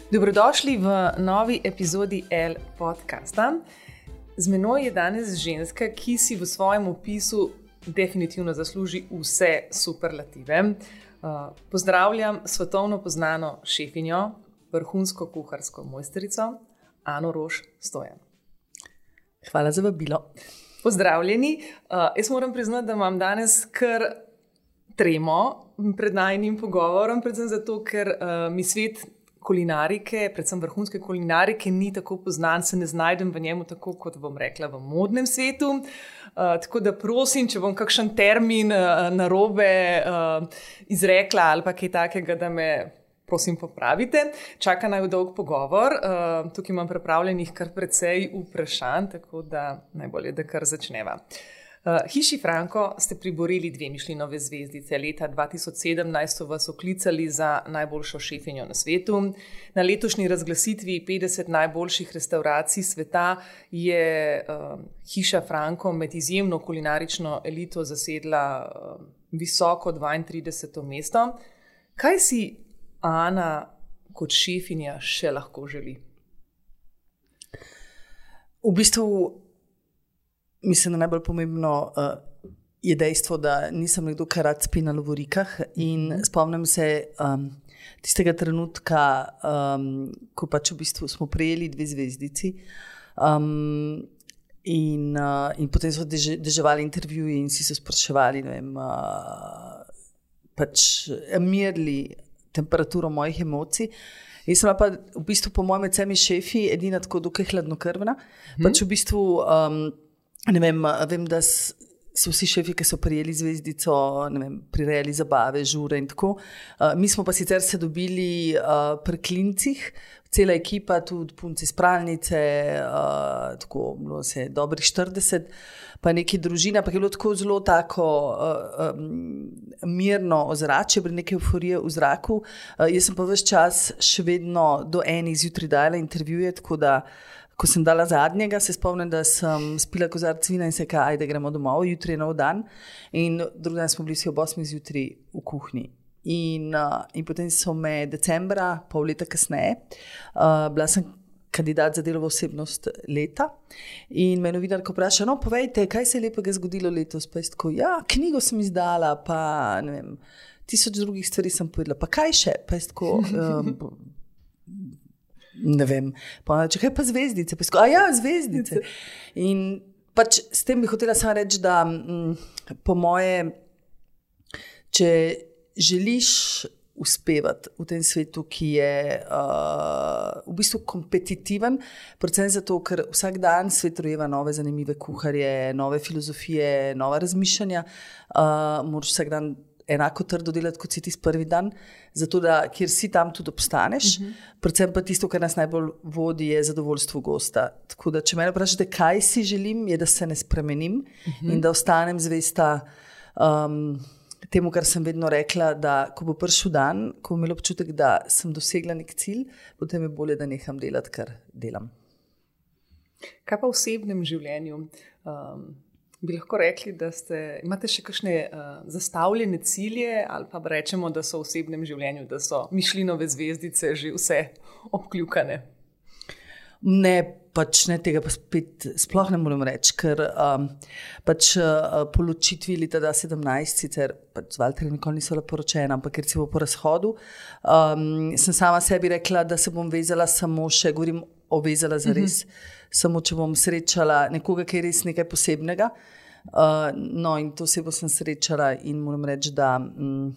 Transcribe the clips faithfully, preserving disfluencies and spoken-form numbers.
Dobrodošli v novi epizodi L podcasta. Z menoj je danes ženska, ki si v svojem opisu definitivno zasluži vse superlative. Pozdravljam svetovno poznano šefinjo, vrhunsko kuharsko mojstrico Ano Roš Stojan. Hvala za vabilo. Pozdravljeni. Jaz moram priznati, da imam danes kar tremo pred najinim pogovorom, predvsem zato, ker mi svet kulinarike, predvsem vrhunske kulinarike, ni tako poznan, se ne znajdem v njemu tako, kot bom rekla, v modnem svetu. Uh, tako da prosim, če bom kakšen termin uh, narobe uh, izrekla ali pa kaj takega, da me prosim popravite. Čaka naj dolg pogovor. Uh, tukaj imam pripravljenih kar precej vprašanj, tako da najbolje, da kar začneva. Uh, Hiši Franko ste priborili dve Michelinove zvezdice. Leta dva tisoč sedemnajst so vas oklicali za najboljšo šefinjo na svetu. Na letošnji razglasitvi petdeset najboljših restauracij sveta je uh, Hiša Franko med izjemno kulinarično elito zasedla uh, visoko dvaintrideseto mesto. Kaj si Ana kot šefinja še lahko želi? V bistvu mislim, da najbolj pomembno uh, je dejstvo, da nisem nekdo, ki rad spi na lovorikah in mm. spomnim se um, tistega trenutka, um, ko pač v bistvu smo prejeli dve zvezdici um, in, uh, in potem so deže, deževali intervjuji in si se spraševali, ne vem, uh, pač merili temperaturo mojih emocij. Jaz sem pa v bistvu po mojem med vsemi šefi edina tako dokaj hladnokrvna. Mm. Pač v bistvu um, Ne vem, vem, da so vsi šefi, ki so prijeli zvezdico, ne vem, prirejali zabave, žure in tako. Uh, mi smo pa sicer se dobili uh, pri klincih, cela ekipa, tudi punci iz pralnice, uh, tako bilo se dobrih štirideset, pa neki družina, pa je bilo tako zelo tako uh, um, mirno ozračje, pri neke euforije v zraku. Uh, jaz sem pa ves čas še vedno do enih zjutraj dala intervjuje, tako da ko sem dala zadnjega, se spomnim, da sem spila kozarec vina in se kaj, ajde gremo domov, jutri je nov dan. In drugi dan smo bili vsi ob osmih zjutraj v kuhinji. In, uh, in potem so me decembra, pol leta kasneje, uh, bila sem kandidat za delovo osebnost leta. In me novinarka vpraša, no povejte, kaj se je lepega zgodilo letos? Pa je tako, ja, knjigo sem izdala, pa ne vem, tisoč drugih stvari sem povedala, pa kaj še? Pa je tako... Um, ne vem, pa če kaj pa zvezdice, pa sko, a ja, zvezdice. In pač s tem bi hotela samo reči, da m, po moje, če želiš uspevati v tem svetu, ki je uh, v bistvu kompetitiven, predvsem zato, ker vsak dan svet rojeva nove zanimive kuharje, nove filozofije, nova razmišljanja, uh, moraš vsak dan enako trdo delati, kot si ti prvi dan, zato da, kjer si tam tudi obstaneš. Uh-huh. Predvsem pa tisto, kar nas najbolj vodi, je zadovoljstvo gosta. Tako da, če me vprašate, kaj si želim, je, da se ne spremenim uh-huh. in da ostanem zvesta um, temu, kar sem vedno rekla, da ko bo prišel dan, ko bom imela občutek, da sem dosegla nek cilj, potem je bolje, da neham delati, kar delam. Kaj pa v osebnem življenju? Um... Bi lahko rekli, da ste, imate še kakšne uh, zastavljene cilje ali pa rečemo, da so v osebnem življenju, da so Michelinove zvezdice že vse obkljukane? Ne, pač ne, tega pa spet sploh ne moram reči, ker um, pač uh, po ločitvi leta dva tisoč sedemnajst, sicer pač z Valterjem nikoli niso bila poročena, ampak ker si bo po razhodu, um, sem sama sebi rekla, da se bom vezala samo še, govorim o vezala za res, uh-huh. samo če bom srečala nekoga, ki je res nekaj posebnega. Uh, no in to osebo sem srečala in moram reči, da um,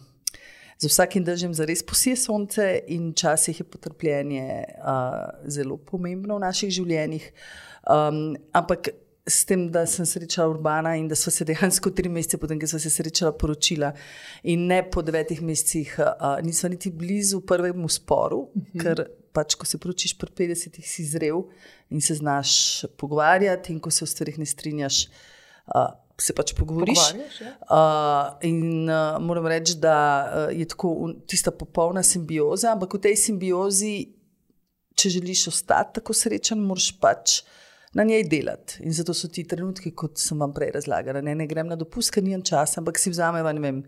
za vsakim dežjem zares posije sonce in včasih je potrpljenje uh, zelo pomembno v naših življenjih. Um, ampak s tem, da sem srečala Urbana in da sva se dejansko tri mesece potem, ko sva se srečala, poročila in ne po devetih mesecih uh, nisva niti blizu prvemu sporu, uh-huh. ker pač, ko se poročiš pri petdesetih, si zrel in se znaš pogovarjati in ko se v stvarih ne strinjaš, uh, se pač pogovoriš. Ja. Uh, in uh, moram reči, da uh, je tako tista popolna simbioza, ampak v tej simbiozi, če želiš ostati tako srečen, moraš pač na njej delati. In zato so ti trenutki, kot sem vam prej razlagala, ne, ne grem na dopust, ker nimam časa, ampak si vzameva, ne vem,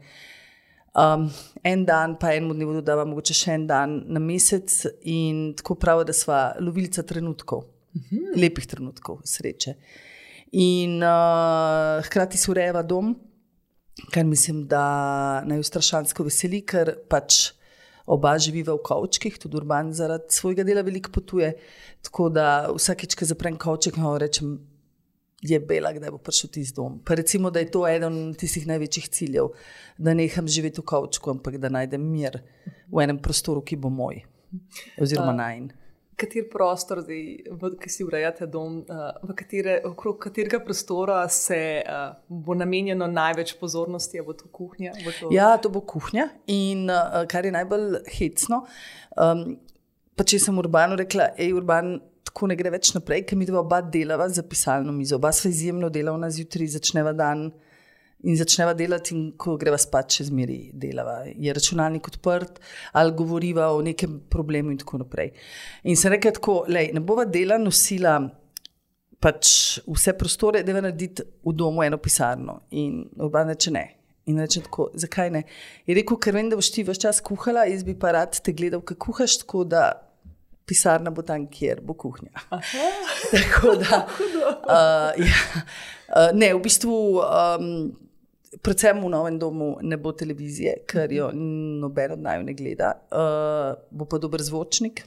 Um, en dan, pa enemu dnevu dodava mogoče še en dan na mesec in tako pravi, da sva lovilca trenutkov, uh-huh. lepih trenutkov, sreče. In uh, hkrati se urejava dom, kar mislim, da naj strašansko veseli, ker pač oba živiva v kovčkih, tudi Urban zaradi svojega dela veliko potuje, tako da vsakič, ko zaprem kovček, no, rečem, je bela, kdaj bo prišel tisti dom. Pa recimo, da je to eden tistih največjih ciljev, da neham živeti v kovčku, ampak da najdem mir v enem prostoru, ki bo moj, oziroma najin. Kater prostor, zdaj, ki si urejate dom, v katere, okrog katerega prostora se bo namenjeno največ pozornosti, a bo to kuhnja? Bo to... Ja, to bo kuhnja in kar je najbolj hecno, um, pa če sem Urbanu rekla, ej Urban, tako ne gre več naprej, ker mi dva oba delava za pisalno mizo. Oba sva izjemno delavna, zjutraj začneva dan in začneva delati in ko greva spat, še zmeri delava. Je računalnik odprt ali govoriva o nekem problemu in tako naprej. In sem rekla tako, lej, ne bova dela nosila pač vse prostore, deva narediti v domu eno pisarno. In Urban reče ne. In reče tako, zakaj ne? Je rekel, ker vem, da boš ti ves čas kuhala, jaz bi pa rad te gledal, kako kuhaš, tako da pisarna bo tam, kjer bo kuhnja. Tako da, uh, ja, uh, ne, v bistvu, um, predvsem v novem domu ne bo televizije, ker jo noben od naju ne gleda. Uh, bo pa dober zvočnik,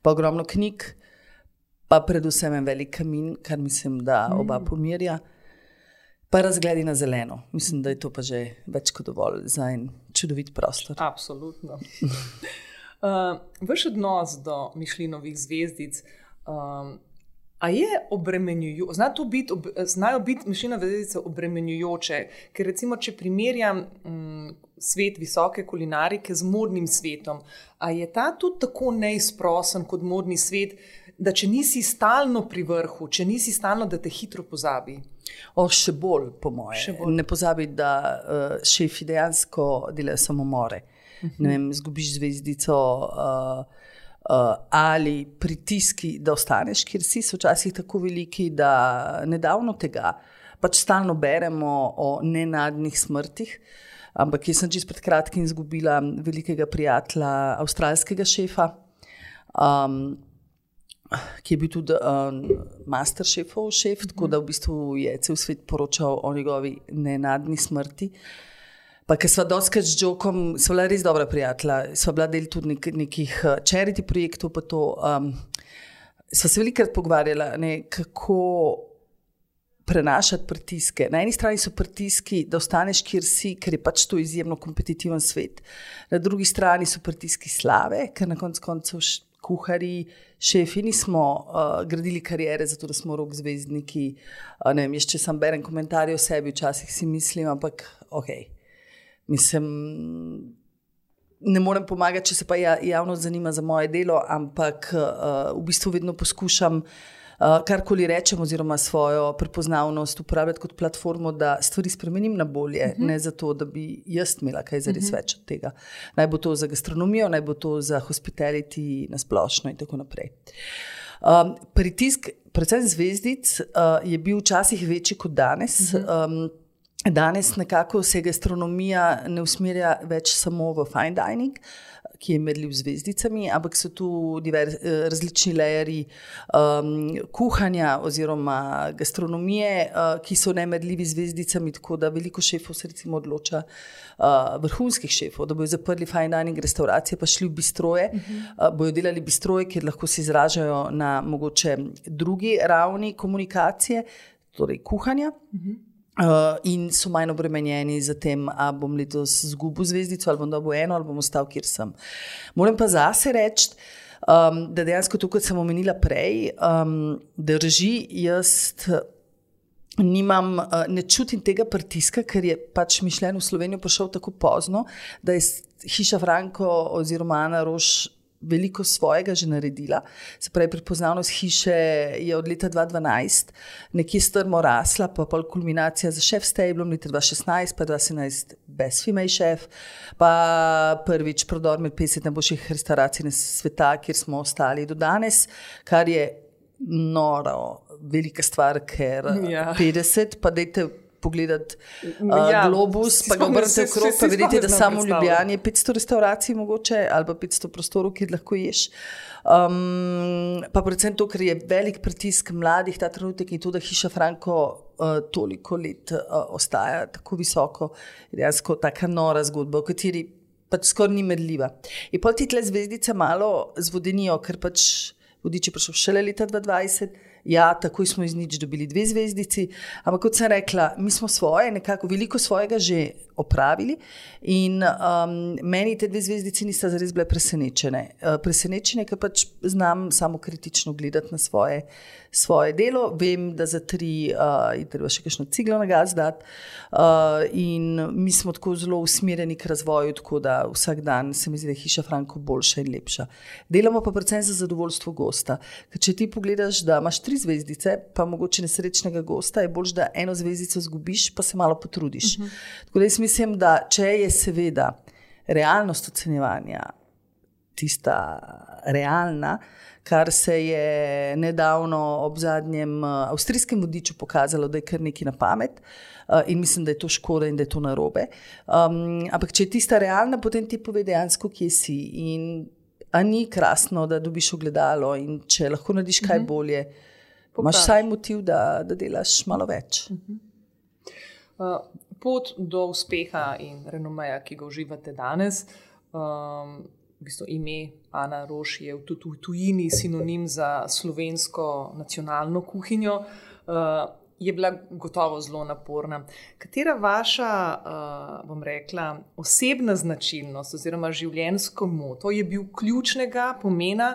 pa ogromno knjig, pa predvsem en velik kamin, kar mislim, da oba pomirja, pa razgledi na zeleno. Mislim, da je to pa že več kot dovolj za en čudovit prostor. Absolutno. Uh, vaš odnos do Michelinovih zvezdic, um, a je obremenjujoče, zna to biti, ob, znajo biti Michelinove zvezdice obremenjujoče, ker recimo, če primerjam um, svet visoke kulinarike z modnim svetom, a je ta tudi tako neizprosen kot modni svet, da če nisi stalno pri vrhu, če nisi stalno, da te hitro pozabi? O, še bolj, po moje. Še bolj. Ne pozabi, da uh, šefi dejansko delajo samomore. Ne vem, zgubiš zvezdico uh, uh, ali pritiski, da ostaneš, kjer si, so včasih tako veliki, da nedavno tega pač stalno beremo o nenadnih smrtih, ampak jaz sem čisto pred kratkim izgubila velikega prijatelja, avstralskega šefa, um, ki je bil tudi um, master šefov šef, tako da v bistvu je cel svet poročal o njegovi nenadni smrti. Pa ker sva doskrat z Jokom, sva bila res dobra prijatelja, sva bila del tudi nek, nekih charity projektov, pa to, um, sva se velikrat pogovarjala, ne, kako prenašati pritiske. Na eni strani so pritiski, da ostaneš, kjer si, ker je pač to izjemno kompetitiven svet. Na drugi strani so pritiski slave, ker na koncu koncev kuhari, šefi nismo uh, gradili karijere, zato da smo rok zvezdniki. Uh, ne vem, jaz če sam berem komentarje o sebi, včasih si mislim, ampak okej. Okay. Mislim, ne morem pomagati, če se pa javnost zanima za moje delo, ampak uh, v bistvu vedno poskušam uh, karkoli rečem oziroma svojo prepoznavnost uporabljati kot platformo, da stvari spremenim na bolje, uh-huh. ne zato, da bi jaz imela kaj zares uh-huh. več od tega. Naj bo to za gastronomijo, naj bo to za hospitality na splošno in tako naprej. Um, pritisk, predvsem zvezdic, uh, je bil včasih večji kot danes. Uh-huh. Um, Danes nekako se gastronomija ne usmerja več samo v fine dining, ki je merljiv z zvezdicami, ampak so tu divers, različni lejeri um, kuhanja oziroma gastronomije, uh, ki so nemerljivi z zvezdicami, tako da veliko šefov se recimo odloča, uh, vrhunskih šefov, da bojo zaprli fine dining restauracije, pa šli v bistroje, uh-huh. uh, bojo delali bistroje, kjer lahko se izražajo na mogoče drugi ravni komunikacije, torej kuhanja. Uh-huh. Uh, in so manj obremenjeni za tem, a bom letos zgubil zvezdico, ali bom dobil eno, ali bom ostal, kjer sem. Moram pa zase reči, um, da dejansko to, kot sem omenila prej, um, drži, jaz nimam, uh, ne čutim tega pritiska, ker je pač Michelin v Slovenijo prišel tako pozno, da je hiša Franko oziroma Ana Roš veliko svojega že naredila. Se pravi, prepoznavnost hiše je od leta dva tisoč dvanajst nekje strmo rasla, pa pol kulminacija za Chef Stablom leta dva tisoč šestnajst, pa dva tisoč sedemnajst Best Female Chef, pa prvič prodor med petdeset najboljših restauracij na sveta, kjer smo ostali do danes, kar je noro velika stvar, ker ja. petdeset, pa dajte pogledati uh, ja, globus, pa ga obrnete okrog, pa vidite, da samo v Ljubljani je petsto restauracij mogoče, ali pa petsto prostorov, kjer lahko ješ. Um, pa predvsem to, ker je velik pritisk mladih ta trenutek in to, da Hiša Franko uh, toliko let uh, ostaja tako visoko, je dejansko taka nora zgodba, v kateri pač skoraj ni medljiva. In pol ti tle zvezdice malo zvodenijo, ker pač Vodič je prišel šele leta dva tisoč dvajset, ja, takoj smo iz nič dobili dve zvezdici, ampak kot sem rekla, mi smo svoje, nekako veliko svojega že opravili in um, meni te dve zvezdici nista zares bile presenečene. Uh, presenečene, ker pač znam samo kritično gledati na svoje, svoje delo, vem, da za tri uh, je treba še kakšno ciglo na gas dati uh, in mi smo tako zelo usmerjeni k razvoju, tako da vsak dan se mi zdi, da je Hiša Franko boljša in lepša. Delamo pa predvsem za zadovoljstvo gosta, ker če ti pogledaš, da imaš tri zvezdice, pa mogoče nesrečnega gosta, je bolj, da eno zvezdico zgubiš, pa se malo potrudiš. Uh-huh. Tako da jaz mislim, da če je seveda realnost ocenjevanja tista realna, kar se je nedavno ob zadnjem avstrijskem vodiču pokazalo, da je kar nekaj na pamet in mislim, da je to škoda in da je to narobe. Um, ampak če je tista realna, potem ti pove dejansko, kje si in a ni krasno, da dobiš ogledalo in če lahko narediš kaj bolje, uh-huh. imaš vsaj motiv, da, da delaš malo več. Uh-huh. Uh, pot do uspeha in renomeja, ki ga uživate danes, um, v bistvu ime Ana Roš je tudi v tujini sinonim za slovensko nacionalno kuhinjo, uh, je bila gotovo zelo naporna. Katera vaša, uh, bom rekla, osebna značilnost oziroma življenjsko moto je bil ključnega pomena,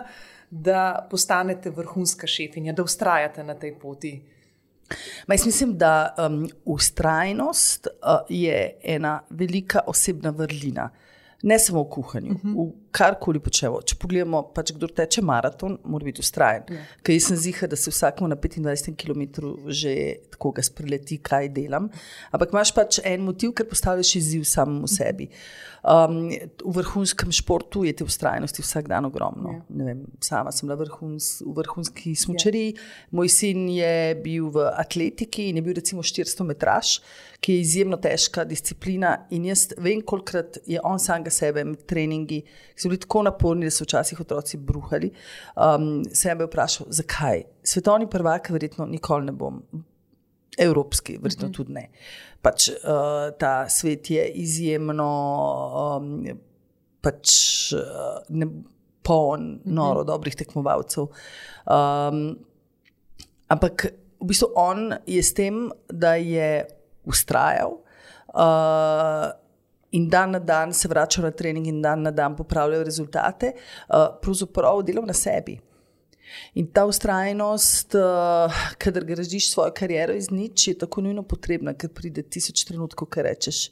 da postanete vrhunska šefinja, da vztrajate na tej poti? Ma jaz mislim, da um, vztrajnost uh, je ena velika osebna vrlina. Ne samo v kuhanju, uh-huh. v karkoli počevo. Če pogledamo, pač kdo teče maraton, mora biti vztrajen. Yeah. Ker jaz sem ziha, da se vsakemu na petindvajsetem kilometru že tako ga spreleti, kaj delam. Ampak imaš pač en motiv, ker postavljaš izziv samemu sebi. Um, v vrhunskem športu je te vztrajnosti vsak dan ogromno. Yeah. Ne vem, sama sem bila vrhuns, v vrhunski smučariji. Yeah. Moj sin je bil v atletiki in je bil recimo štiristo metraž, ki je izjemno težka disciplina in jaz vem, kolikrat je on samega sebe med treningi, ki so bili tako naporni, da so včasih otroci bruhali, um, sebe vprašal, zakaj? Svetovni prvak verjetno nikoli ne bom, evropski verjetno mm-hmm. tudi ne. Pač uh, ta svet je izjemno um, pač uh, ne, poln noro mm-hmm. dobrih tekmovalcev. Um, ampak v bistvu on je s tem, da je ustrajal uh, in dan na dan se vračal na trening in dan na dan popravljal rezultate, uh, pravzaprav delal na sebi. In ta ustrajnost, uh, kadar gradiš svojo kariero iz nič, je tako nujno potrebna, ker pride tisoč trenutkov, ko rečeš,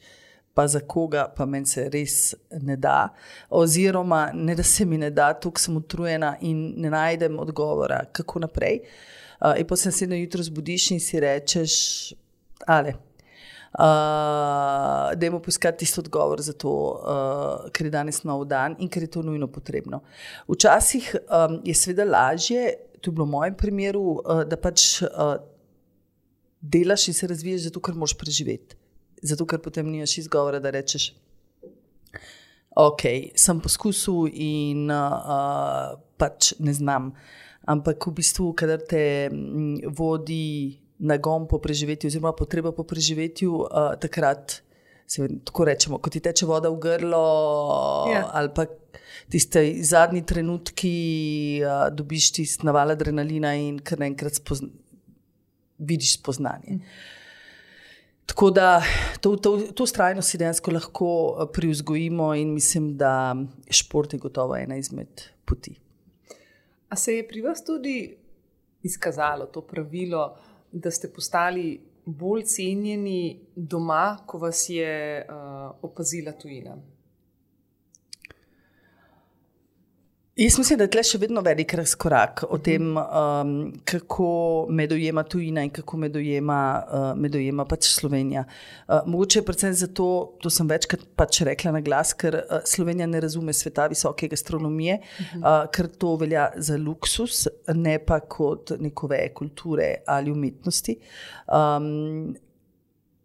pa za koga, pa meni se res ne da, oziroma ne da se mi ne da, toliko sem utrujena in ne najdem odgovora, kako naprej. Uh, in potem se sedno jutro zbudiš in si rečeš, ale, Uh, dajmo poiskati tisto odgovor za to, uh, ker je danes nov dan in ker je to nujno potrebno. Včasih um, je seveda lažje, to je bilo v mojem primeru, uh, da pač uh, delaš in se razvijaš zato, ker moraš preživeti. Zato, ker potem nimaš izgovora, da rečeš, ok, sem poskusil in uh, pač ne znam. Ampak v bistvu, kadar te m, vodi nagon po preživetju oziroma potreba po preživetju, uh, takrat se tako rečemo, ko ti teče voda v grlo yeah. ali pa tiste zadnji trenutki uh, dobiš tist naval adrenalina in kar naenkrat spozna, vidiš spoznanje. Mm. Tako da to, to, to vztrajnost si dejansko lahko privzgojimo in mislim, da šport je gotovo ena izmed poti. A se je pri vas tudi izkazalo to pravilo, da ste postali bolj cenjeni doma, ko vas je uh, opazila tujina? Jaz mislim, da je tle še vedno velik razkorak o tem, um, kako me dojema tujina in kako me dojema, uh, me dojema pač Slovenija. Uh, mogoče je predvsem zato, to sem večkrat pač rekla na glas, ker uh, Slovenija ne razume sveta visoke gastronomije, uh, ker to velja za luksus, ne pa kot neko veje kulture ali umetnosti. Um,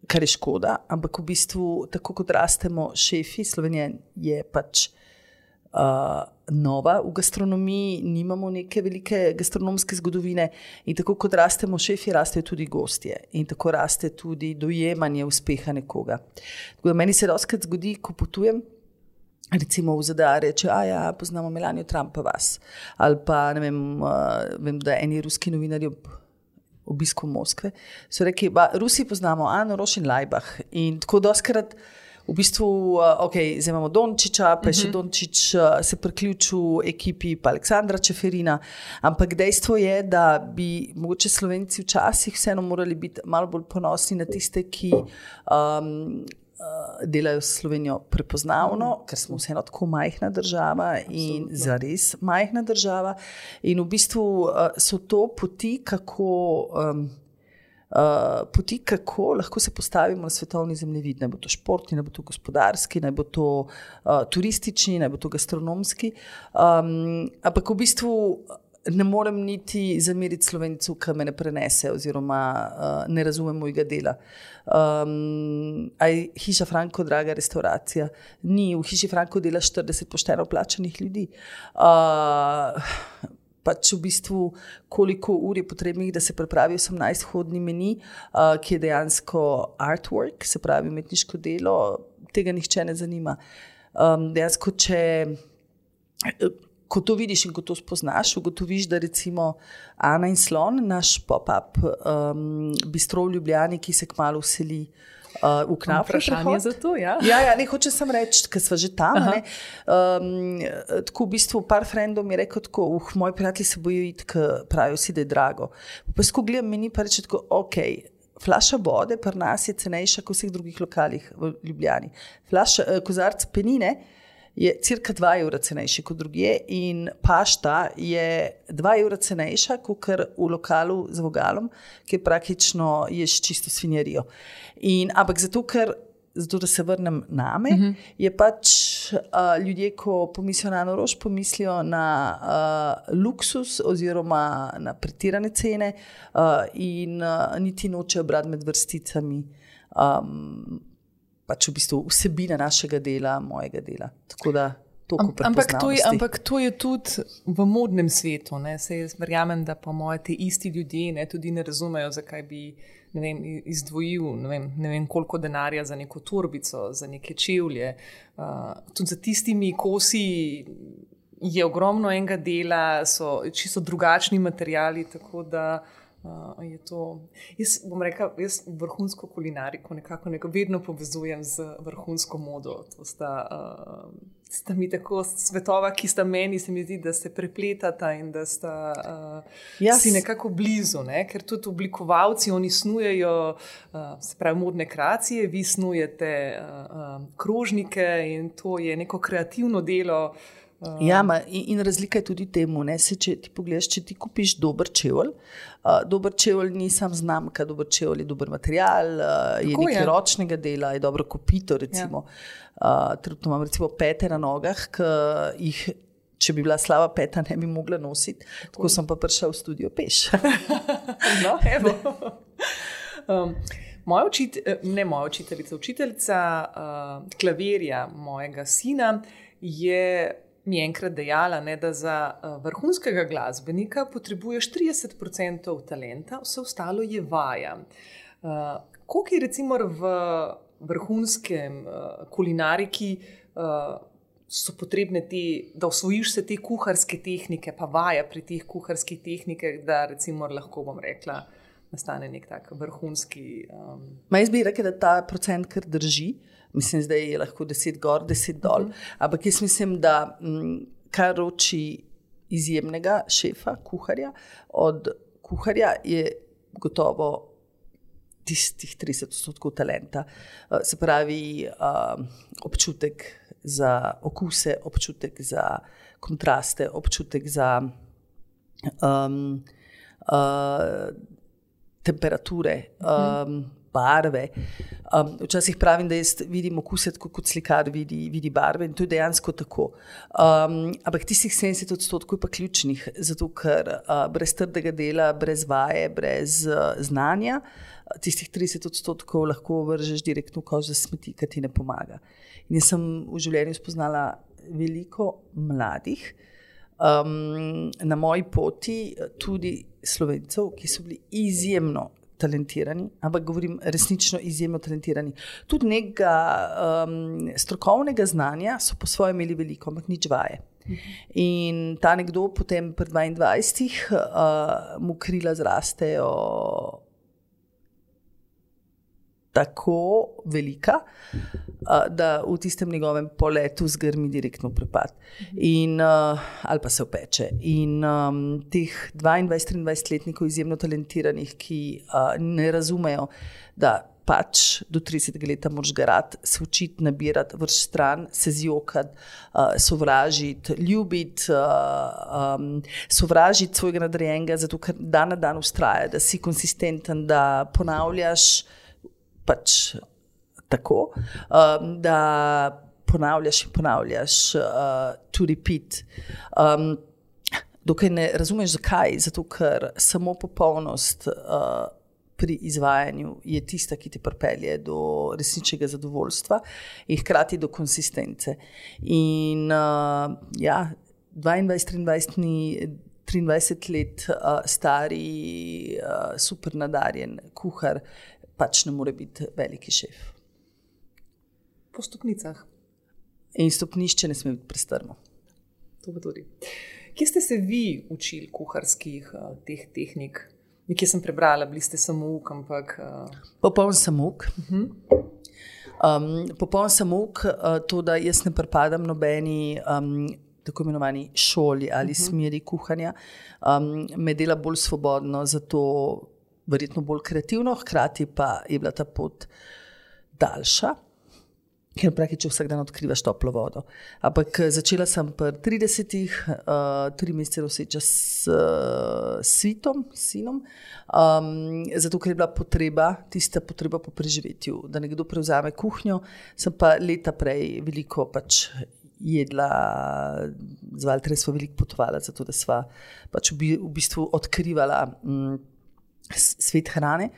kar je škoda, ampak v bistvu, tako kot rastemo šefi, Slovenija je pač uh, nova v gastronomiji, nimamo neke velike gastronomske zgodovine in tako kot rastemo šefi, rastejo tudi gostje in tako raste tudi dojemanje uspeha nekoga. Tako da meni se dostikrat zgodi, ko potujem, recimo v Z D A reče, a ja, poznamo Melanijo Trump pa vas, ali pa ne vem, uh, vem, da eni ruski novinarji ob obisku Moskve, so rekli, ba, Rusi poznamo Ano Roš in Lajbah in tako doskrat v bistvu, uh, ok, zdaj imamo Dončiča, pa je še Dončič uh, se priključil ekipi pa Aleksandra Čeferina, ampak dejstvo je, da bi mogoče Slovenci včasih vseeno morali biti malo bolj ponosni na tiste, ki um, uh, delajo Slovenijo prepoznavno, ker smo vseeno tako majhna država in Absolutno. Zares majhna država in v bistvu uh, so to poti, kako um, Uh, poti, kako lahko se postavimo na svetovni zemljevid. Naj bo to športni, naj bo to gospodarski, naj bo to uh, turistični, naj bo to gastronomski. Um, ampak v bistvu ne morem niti zameriti Slovencu, ki me ne prenese oziroma uh, ne razume mojega dela. Um, aj Hiša Franko, draga restauracija, ni, v Hiši Franko dela štirideset pošteno plačanih ljudi. Uh, pač v bistvu koliko ur je potrebnih, da se pripravi osemnajst hodni meni, uh, ki je dejansko artwork, se pravi umetniško delo, tega nihče ne zanima. Um, dejansko, če ko to vidiš in ko to spoznaš, ugotoviš, da recimo Ana in Slon, naš pop-up um, bistro v Ljubljani, ki se kmalu vseli Uh, v Knafru. Vprašanje za to, ja. Ja, ja, ne, hočem sem reči, ker sva že tam, ne. Um, tako v bistvu par frendov mi je rekel tako, uh, moji prijatelji se bojo iti, ker pravijo si, da je drago. Pa ko gledam meni, pa reče tako, ok, flaša vode pri nas je cenejša kot v vseh drugih lokalih v Ljubljani. Flaša, uh, kozarc penine je cirka dva evra cenejši kot drugje in pašta je dva evra cenejša kot v lokalu z vogalom, ki praktično ješ čisto svinjarijo. In, ampak zato, ker, zato, da se vrnem name, uh-huh. je pač uh, ljudje, ko pomislijo na Ano Roš, pomislijo na uh, luksus oziroma na pretirane cene uh, in uh, niti nočejo brati med vrsticami um, pač v bistvu vsebina našega dela, mojega dela. Tako da toliko ampak, to je, ampak to je tudi v modnem svetu. Ne? Se jaz verjamem, da pa moje te isti ljudje ne, tudi ne razumejo, zakaj bi ne vem, izdvojil ne vem, ne vem koliko denarja za neko torbico, za neke čevlje. Uh, tudi za tistimi kosi je ogromno enega dela, so čisto drugačni materiali, tako da Uh, je to, jaz bom rekel, jaz vrhunsko kulinariko nekako nekako vedno povezujem z vrhunsko modo. To sta, uh, sta mi tako svetova, ki sta meni, se mi zdi, da se prepletata in da sta uh, yes. si nekako blizu, ne? Ker tudi oblikovalci, oni snujejo, uh, se pravi, modne kreacije, vi snujete uh, uh, krožnike in to je neko kreativno delo. Uh, ja, ma, in, in razlika je tudi temu, ne, se, če ti pogledaš, če ti kupiš dober čevelj, uh, dober čevelj ni sam znamka, dober čevelj je dober material, uh, je nekaj je. ročnega dela, je dobro kopito, recimo. Ja. Uh, trenutno imam recimo pete na nogah, ki jih, če bi bila slaba peta, ne bi mogla nositi, tako, tako sem pa prišla v studio peš. No, evo. um, moja učitelj, ne moja učiteljica, učiteljica uh, klavirja mojega sina je mi je enkrat dejala, ne, da za uh, vrhunskega glasbenika potrebuješ trideset procentov talenta, vse ostalo je vaja. Uh, koliko je recimo v vrhunskem uh, kulinariki uh, so potrebne te, da osvojiš se te kuharske tehnike, pa vaja pri teh kuharskih tehnikah, da recimo lahko bom rekla, nastane nek tak vrhunski... Um... Ma jaz bi rekel, da ta procent kar drži. Mislim, zdaj je lahko deset gor, deset dol. Uh-huh. Ampak jaz mislim, da m, kar roči izjemnega šefa, kuharja, od kuharja je gotovo tistih trideset odstotkov talenta. Uh, se pravi, uh, občutek za okuse, občutek za kontraste, občutek za um, uh, temperature, uh-huh. um, barve. Um, včasih pravim, da jaz vidim okuse tako kot slikar vidi, vidi barve in to je dejansko tako. Um, ampak tistih sedemdeset odstotkov je pa ključnih, zato ker uh, brez trdega dela, brez vaje, brez uh, znanja, tistih trideset odstotkov lahko vržeš direktno v koš za smeti, ki ti ne pomaga. In jaz sem v življenju spoznala veliko mladih, um, na moji poti tudi Slovencev, ki so bili izjemno talentirani, ampak govorim resnično izjemno talentirani. Tudi nekega um, strokovnega znanja so po svoje imeli veliko, ampak nič vaje. In ta nekdo potem pri dvaindvajsetih uh, mu krila zrastejo tako velika, uh, da v tistem njegovem poletu zgrmi direktno v prepad. In, uh, ali pa se opeče. In um, teh dvaindvajset triindvajsetletnikov izjemno talentiranih, ki uh, ne razumejo, da pač do tridesetega leta moraš garati, se učiti, nabirati, vrš stran, se zjokati, uh, sovražiti, ljubiti, uh, um, sovražiti svojega nadrejenega, zato ker dan na dan vztraja, da si konsistenten, da ponavljaš pač tako, um, da ponavljaš in ponavljaš, uh, to repeat. Um, dokaj ne razumeš zakaj, zato ker samo popolnost uh, pri izvajanju je tista, ki te pripelje do resničnega zadovoljstva in hkrati do konsistence. In uh, ja, dvaindvajset triindvajset triindvajset let uh, stari, uh, super nadarjen kuhar pač ne more biti veliki šef. Po stopnicah. In stopnišče ne sme biti prestrmo. To pa tudi. Kje ste se vi učili kuharskih uh, teh tehnik? Nekje sem prebrala, bili ste samouk, ampak... Uh... Popoln samouk. Uh-huh. Um, popoln samouk, uh, to, da jaz ne pripadam nobeni um, tako imenovani šoli ali uh-huh. smeri kuhanja, um, me dela bolj svobodno, zato verjetno bolj kreativno, hkrati pa je bila ta pot daljša, ker praktično vsak dan odkrivaš toplo vodo. Ampak začela sem pri tridesetih, uh, tri mesece noseča s uh, svitom, sinom, um, zato ker je bila potreba, tista potreba po preživetju, da nekdo prevzame kuhnjo, sem pa leta prej veliko pač jedla, z Valterjem sva veliko potovala, zato da sva pač v, v bistvu odkrivala um, svet hrane.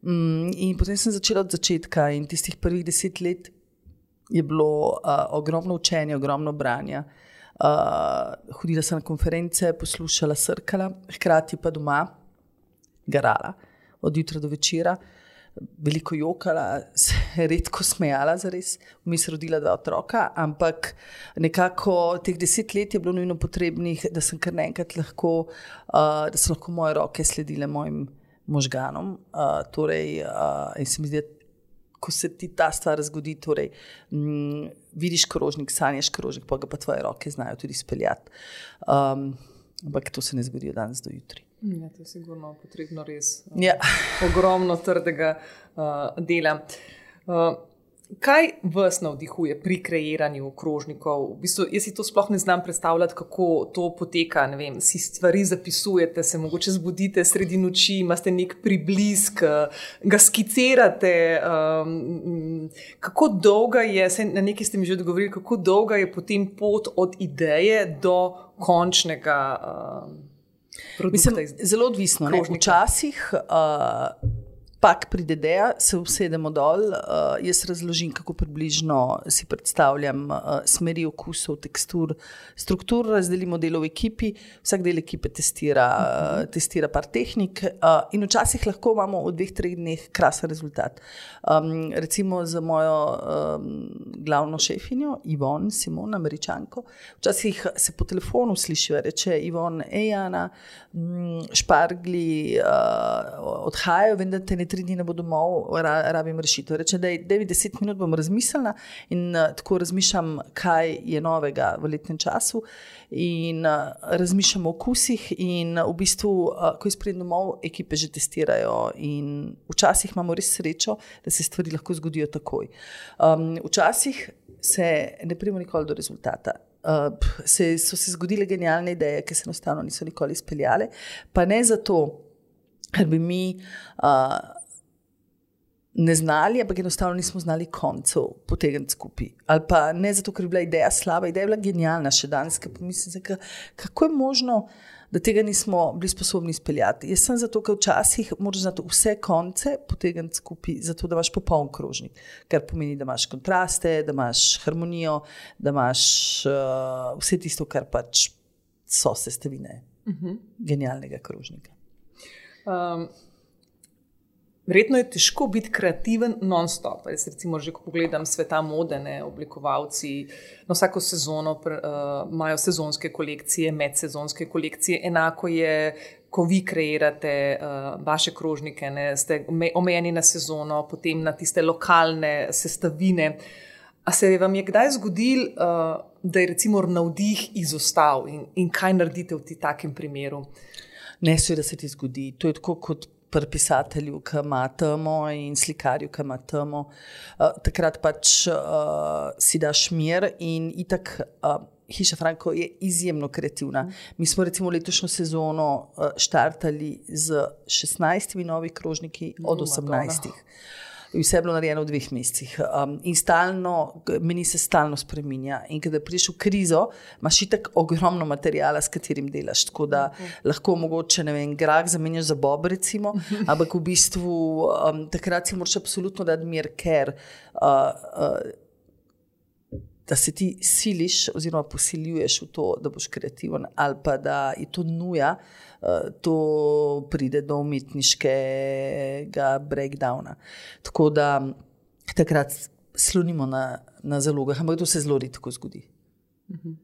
Um, in potem sem začela od začetka in tistih prvih deset let je bilo uh, ogromno učenja, ogromno branja. Uh, hodila sem na konference, poslušala, srkala, hkrati pa doma garala od jutra do večera, veliko jokala, se redko smejala zares, vmes rodila dva otroka, ampak nekako teh deset let je bilo nujno potrebnih, da sem kar naenkrat lahko, uh, da so lahko moje roke sledile mojim možganom. Uh, torej, uh, in se mi zdi, ko se ti ta stvar zgodi, torej, m, vidiš krožnik, sanjaš krožnik, pa ga pa tvoje roke znajo tudi speljati. Um, ampak to se ne zgodi od danes do jutri. Ja, to je sigurno potrebno res uh, ja. ogromno trdega uh, dela. Uh, kaj vas navdihuje pri kreiranju krožnikov? V bistvu, jaz si to sploh ne znam predstavljati, kako to poteka. Ne vem, si stvari zapisujete, se mogoče zbudite sredi noči, imate nek priblisk, ga skicirate. Um, kako dolga je, na nekaj ste mi že odgovorili, kako dolga je potem pot od ideje do končnega um, produkta? Mislim, zelo odvisno. Ne? Včasih uh, pak pride ideja, se usedemo dol, uh, jaz razložim, kako približno si predstavljam uh, smeri okusov, tekstur, struktur, razdelimo delo v ekipi, vsak del ekipe testira, uh, testira par tehnik uh, in včasih lahko imamo v dveh, treh dneh krasen rezultat. Um, recimo za mojo um, glavno šefinjo, Ivon Simon, Američanko, včasih se po telefonu slišiva, reče Ivon, ej Ana, špargli uh, odhajajo, vem, da te ne tri dni ne bo domov, ra, rabim rešitev. Reče, da je devet deset minut bom razmislila in uh, tako razmišljam, kaj je novega v letnem času in uh, razmišljam o okusih in uh, v bistvu, uh, ko izpredem domov, ekipe že testirajo in včasih imamo res srečo, da se stvari lahko zgodijo takoj. Um, včasih se ne pridemo nikoli do rezultata. Uh, se, so se zgodile genialne ideje, ki se enostavno niso nikoli izpeljale, pa ne zato, ker bi mi uh, ne znali, ampak enostavno nismo znali koncev potegniti skupaj. Ali pa ne zato, ker je bila ideja slaba, ideja je bila genialna še danes, ker pomislim se, kako je možno, da tega nismo bili sposobni izpeljati. Jaz sem zato, ker včasih moraš znati vse konce potegniti skupaj, zato da imaš popoln krožnik, kar pomeni, da imaš kontraste, da imaš harmonijo, da imaš uh, vse tisto, kar pač so sestavine uh-huh. genialnega krožnika. Um. Verjetno je težko biti kreativen non-stop. Jaz recimo že, ko pogledam sveta mode, ne, oblikovalci na vsako sezono uh, imajo sezonske kolekcije, medsezonske kolekcije. Enako je, ko vi kreirate uh, vaše krožnike, ne, ste omejeni na sezono, potem na tiste lokalne sestavine. A se vam je kdaj zgodil, uh, da je recimo navdih izostal in, in kaj naredite v takem primeru? Ne, seveda se ti zgodi. To je tako kot pri pisatelju, ki ima temo in slikarju, ki ima temo. Uh, takrat pač uh, si daš mir in itak uh, Hiša Franko je izjemno kreativna. Mi smo recimo letošnjo sezono uh, štartali z šestnajstimi novi krožniki od osemnajstih. Vse je bilo narejeno v dveh mesecih. Um, in stalno, meni se stalno spreminja. In kada prideš v krizo, imaš itak ogromno materijala, s katerim delaš. Tako da uh-huh. lahko mogoče, ne vem, grah zamenjaš za bob, recimo, ampak v bistvu um, takrat si moraš absolutno dati mir, ker uh, uh, da se ti siliš oziroma posiljuješ v to, da boš kreativen, ali pa da je to nuja, to pride do umetniškega breakdowna. Tako da takrat slonimo na, na zalogah, ampak to se zelo redko zgodi. Mhm.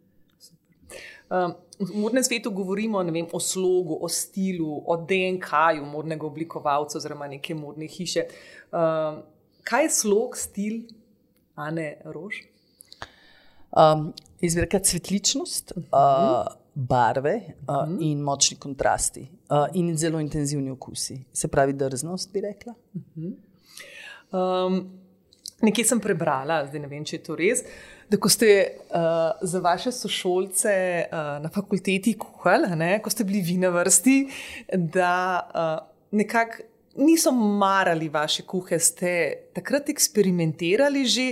Um, v modnem svetu govorimo, ne vem, o slogu, o stilu, o D N K-ju modnega oblikovalca oziroma neke modne hiše. Um, kaj je slog, stil Ane Roš? Um, izvirka cvetličnost, uh-huh. uh, barve uh, uh-huh. in močni kontrasti uh, in zelo intenzivni okusi. Se pravi drznost, bi rekla. Uh-huh. Um, nekje sem prebrala, zdaj ne vem, če je to res, da ko ste uh, za vaše sošolce uh, na fakulteti kuhali, ne, ko ste bili vi na vrsti, da uh, nekako niso marali vaše kuhe, ste takrat eksperimentirali že,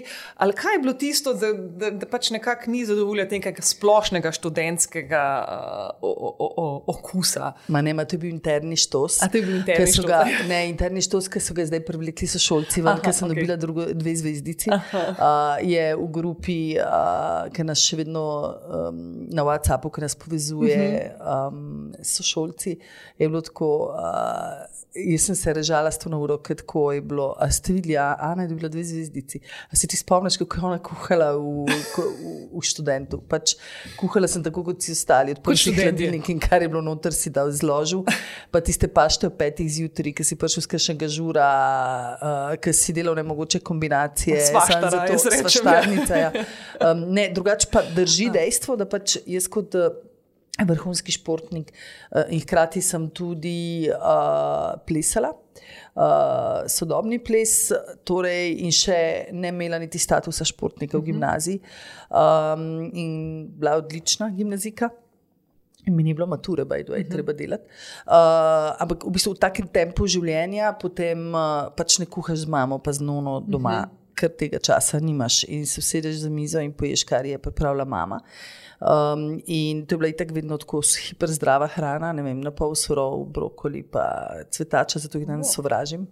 ali kaj je bilo tisto, da, da, da pač nekako ni zadovoljati nekega splošnega študentskega uh, o, o, o, okusa? Ma ne, ma to je bil interni štos. A to je bil interni štos? Ga, ne, interni štos, ki so ga zdaj privlekli sošolci, ker sem okay. dobila drugo, dve zvezdici. Uh, je v grupi, uh, ki nas še vedno um, na WhatsAppu, ki nas povezuje uh-huh. um, sošolci, je bilo tako... Uh, Jaz sem se režala s to na uro, kako je bilo. A ste videli, Ana je dobila dve zvezdici. A se ti spomniš, kako je ona kuhala v, v, v študentu? Pač kuhala sem tako, kot si ostali. Odprši hladilnik in kar je bilo noter, si dal zložil. Pa tiste pašte o petih zjutraj, ki si prišel z kakšnega žura, uh, ki si delal nemogoče kombinacije. Svaštara, jaz rečem. Svaštarnica, ja. Um, ne, drugače pa drži dejstvo, da pač jaz kot... vrhunski športnik uh, in hkrati sem tudi uh, plesala, uh, sodobni ples, torej in še ne imela niti statusa športnika v gimnaziji um, in bila odlična gimnazika. In mi ni bilo mature, by the way, uh-huh. treba delati. Uh, ampak v bistvu v takem tempu življenja potem uh, pač ne kuhaš z mamo pa z nono doma, uh-huh. ker tega časa nimaš in se usedeš za mizo in poješ, kar je pripravila mama. Um, in to je bila itak vedno tako hiperzdrava hrana, ne vem, na pol surov, brokoli pa cvetača, zato jih danes sovražim.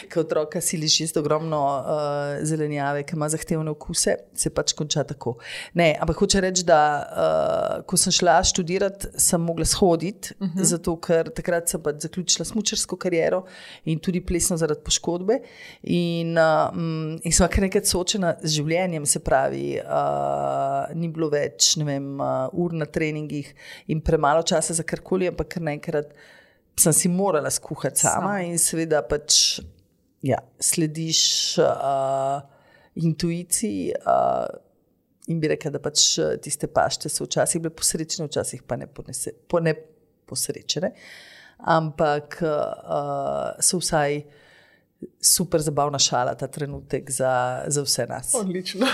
Ko otroka siliš jesti ogromno uh, zelenjave, ki ima zahtevne okuse, se pač konča tako. Ne, ampak hoče reči, da uh, ko sem šla študirati, sem mogla shoditi, uh-huh. zato ker takrat sem pač zaključila smučarsko kariero in tudi plesno zaradi poškodbe in, uh, in sem kar nekaj soočena z življenjem, se pravi, uh, ni bilo več, ne vem, uh, ur na treningih in premalo časa za karkoli, ampak kar naenkrat sem si morala skuhati sama Sam. In seveda pač ja, slediš uh, intuiciji uh, in bi rekla, da pač tiste pašte so včasih bile posrečene, včasih pa ne, ponese, po ne posrečene, ampak uh, so vsaj super zabavna šala ta trenutek za, za vse nas. Odlično.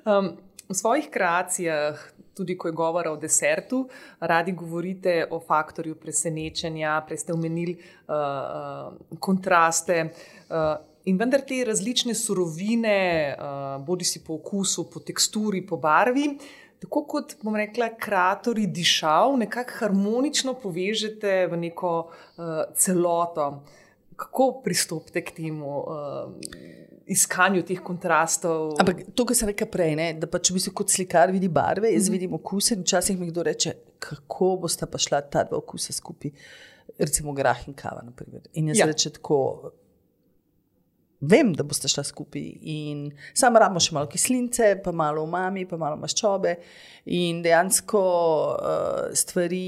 Um, v svojih kreacijah tudi ko je govora o desertu, radi govorite o faktorju presenečenja, prej ste omenili uh, uh, kontraste. Uh, in vendar te različne surovine, uh, bodi si po okusu, po teksturi, po barvi, tako kot, bom rekla, kreatorji dišav, nekako harmonično povežete v neko uh, celoto. Kako pristopite k temu uh, iskanju teh kontrastov? Ampak to, kar sem rekla prej, ne, da pač v bistvu kot slikar vidi barve, jaz mm-hmm. vidim okuse in včasih mi kdo reče, kako bosta pa šla ta dva okusa skupaj, recimo grah in kava, naprimer. In jaz ja. reče tako, vem, da boste šla skupaj in samo rabimo še malo kislince, pa malo umami, pa malo maščobe in dejansko uh, stvari,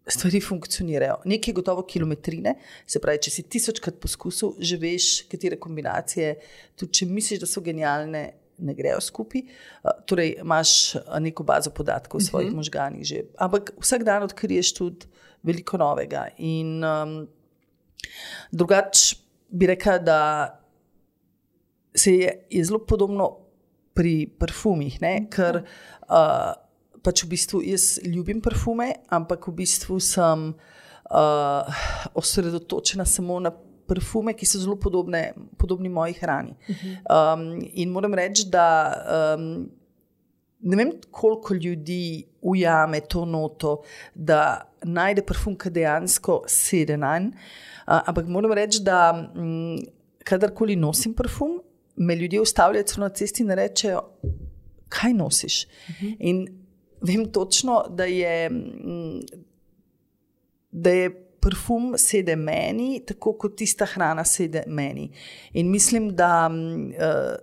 stvari funkcionirajo. Nekaj gotovo kilometrine, se pravi, če si tisočkrat poskusil, že veš, katere kombinacije, tudi če misliš, da so genialne, ne grejo skupaj. Uh, torej, imaš neko bazo podatkov v svojih uh-huh. možganih že. Ampak vsak dan odkriješ tudi veliko novega in um, drugače bi rekla, da se je, je zelo podobno pri parfumih, ne? Ker uh, pač v bistvu jaz ljubim parfume, ampak v bistvu sem uh, osredotočena samo na parfume, ki so zelo podobne, podobni moji hrani. Um, in moram reči, da um, ne vem, koliko ljudi ujame to noto, da najde parfum, ki dejansko sede nanj. Uh, ampak moram reči, da um, kadarkoli nosim parfum, me ljudje ustavljajo na cesti in rečejo, kaj nosiš? Uh-huh. In vem točno, da je, da je parfum sede meni, tako kot tista hrana sede meni. In mislim, da uh,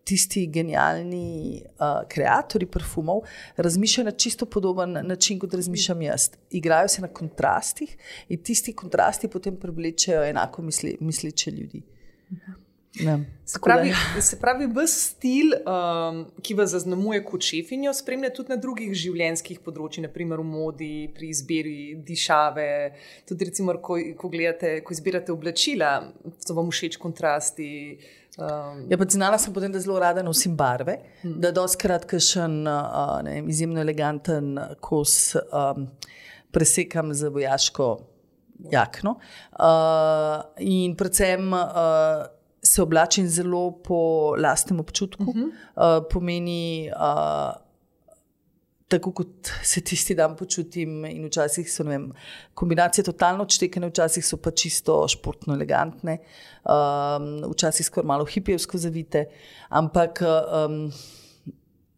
tisti genialni uh, kreatorji parfumov razmišljajo na čisto podoben način, kot razmišljam jaz. Igrajo se na kontrastih in tisti kontrasti potem privlečejo enako misli, misleče ljudi. Ne. Se pravi, se pravi, ves stil, um, ki vas zaznamuje kot šefinjo, spremlja tudi na drugih življenjskih področjih, naprimer v modi, pri izbiri dišave, tudi recimo, ko, ko gledate, ko izbirate oblačila, so vam všeč kontrasti. Um. Ja, pa znala sem potem, da zelo rada nosim barve, hmm. da dostikrat kakšen uh, ne vem, izjemno eleganten kos um, presekam z vojaško jakno. Uh, in predvsem uh, se oblačim zelo po lastnem občutku. Uh-huh. Uh, pomeni, uh, tako kot se tisti dan počutim in včasih so, ne vem, kombinacije totalno odštekane, včasih so pa čisto športno elegantne, um, včasih skoraj malo hipijevsko zavite, ampak um,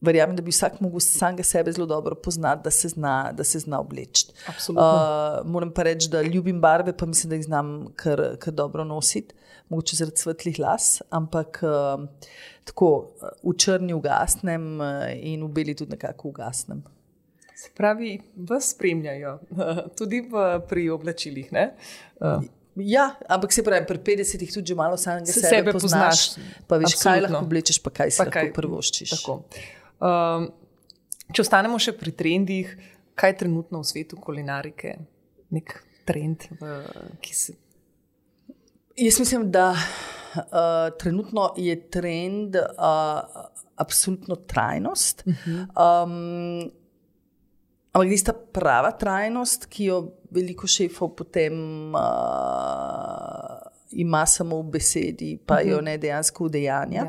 verjamem, da bi vsak mogel samega sebe zelo dobro poznati, da se zna, da se zna obleči. Absolutno. Uh, moram pa reči, da ljubim barve, pa mislim, da jih znam kar, kar dobro nositi. Mogoče zaradi svetlih las, ampak uh, tako v črni ugasnem in v beli tudi nekako ugasnem. Se pravi, vas spremljajo tudi v, pri oblačilih, ne? Uh. Ja, ampak se pravi, pri petdesetih tudi že malo samega se sebe, sebe poznaš, poznaš, pa veš, absolutno. kaj lahko oblečeš, pa kaj si pa lahko kaj, prvoščiš. Tako. Um, če ostanemo še pri trendih, kaj je trenutno v svetu kulinarike? Nek trend, v, ki se... Jaz mislim, da uh, trenutno je trend uh, absolutno trajnost. Uh-huh. Um, ampak tista prava trajnost, ki jo veliko šefov potem uh, ima samo v besedi, pa uh-huh. jo ne dejansko udejanja.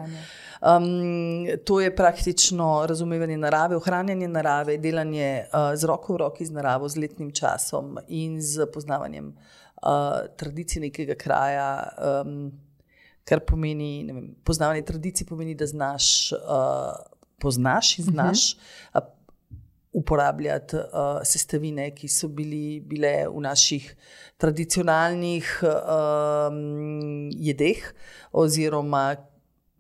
Um, to je praktično razumevanje narave, ohranjanje narave, delanje uh, z roko v roki z naravo, z letnim časom in z poznavanjem Uh, tradicije nekega kraja, um, kar pomeni, ne vem, poznavanje tradicij pomeni, da znaš, uh, poznaš in znaš uh-huh. uh, uporabljati uh, sestavine, ki so bili, bile v naših tradicionalnih uh, jedeh, oziroma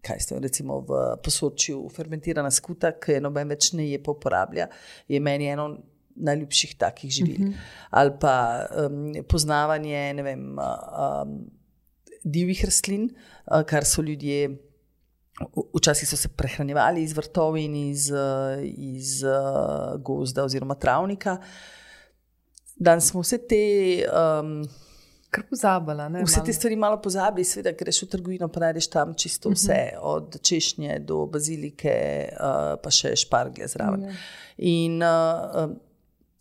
kaj ste, recimo v Posočju fermentirana skuta, ki je noben več ne je pa uporablja, je meni eno najljubših takih živil. Uh-huh. Ali pa um, poznavanje, ne vem, um, divjih rastlin, uh, kar so ljudje, včasih so se prehranjevali iz vrtov in iz, iz uh, gozda oziroma travnika. Danes smo vse te um, Kar pozabila. Ne, vse malo. te stvari malo pozabi, seveda greš v trgovino, pa najdeš tam čisto vse, uh-huh. od češnje do bazilike, uh, pa še šparglje zraven. Uh-huh. In uh,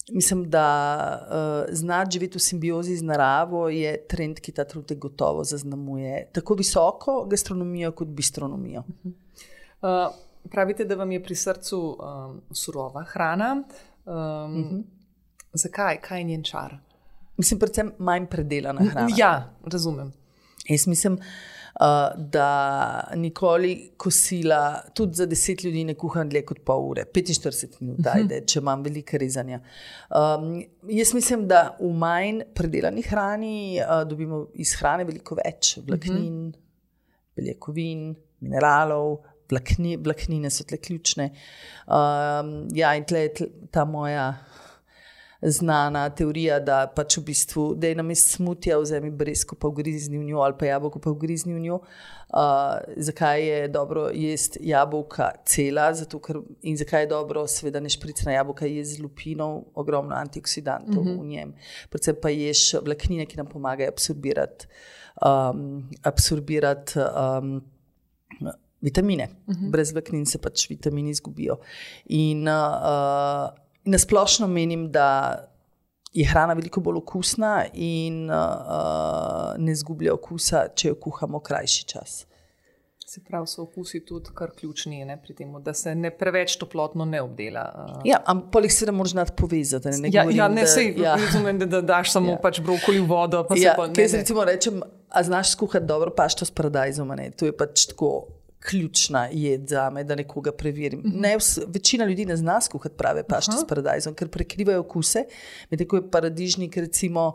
mislim, da uh, znati živeti v simbiozi z naravo je trend, ki ta trenutek gotovo zaznamuje tako visoko gastronomijo kot bistronomijo. Uh-huh. Uh, pravite, da vam je pri srcu um, surova hrana. Um, uh-huh. Zakaj? Kaj je njen čar? Mislim, predvsem manj predelana hrana. Ja, razumem. Jaz mislim, uh, da nikoli kosila, tudi za deset ljudi ne kuham dlje kot pol ure, petinštirideset minut, ajde, če imam veliko rezanja. Um, jaz mislim, da v manj predelani hrani uh, dobimo iz hrane veliko več vlaknin, beljakovin, mineralov, vlakni, vlaknine so tle ključne. Um, ja, in tle je tle, ta moja znana teorija, da pač v bistvu, da je namesto smutija vzemi breskvo pa ugrizni v njo ali pa jabolko pa ugrizni v njo. Uh, zakaj je dobro jesti jabolka cela, zato ker, in zakaj je dobro seveda nešpricana jabolka jesti z lupinov, ogromno antioksidantov mm-hmm. v njem. Predvsem pa ješ vlaknine, ki nam pomagajo absorbirati, um, absorbirati um, vitamine. Mm-hmm. Brez vlaknin se pač vitamini izgubijo. In uh, Na splošno menim, da je hrana veliko bolj okusna in uh, ne izgublja okusa, če jo kuhamo krajši čas. Se pravi, so okusi tudi kar ključni, ne, pri tem, da se ne preveč toplotno ne obdela. Uh. Ja, ampak jih seveda moraš znati povezati. Ne, ne, ja, govorim, ja, ne da, sej, ja. razumem, da, da daš samo ja. pač brokoli v vodo. Pa ja, se pa, ne, kaj se ne. recimo rečem, a znaš skuhati dobro pašto s paradajzom, ne? To je pač tako ključna jed za me, da nekoga preverim. Mm-hmm. Ne, vs, večina ljudi ne zna skuhati prave pašte Aha. s paradajzom, ker prekrivajo okuse, medtem ko je paradižnik recimo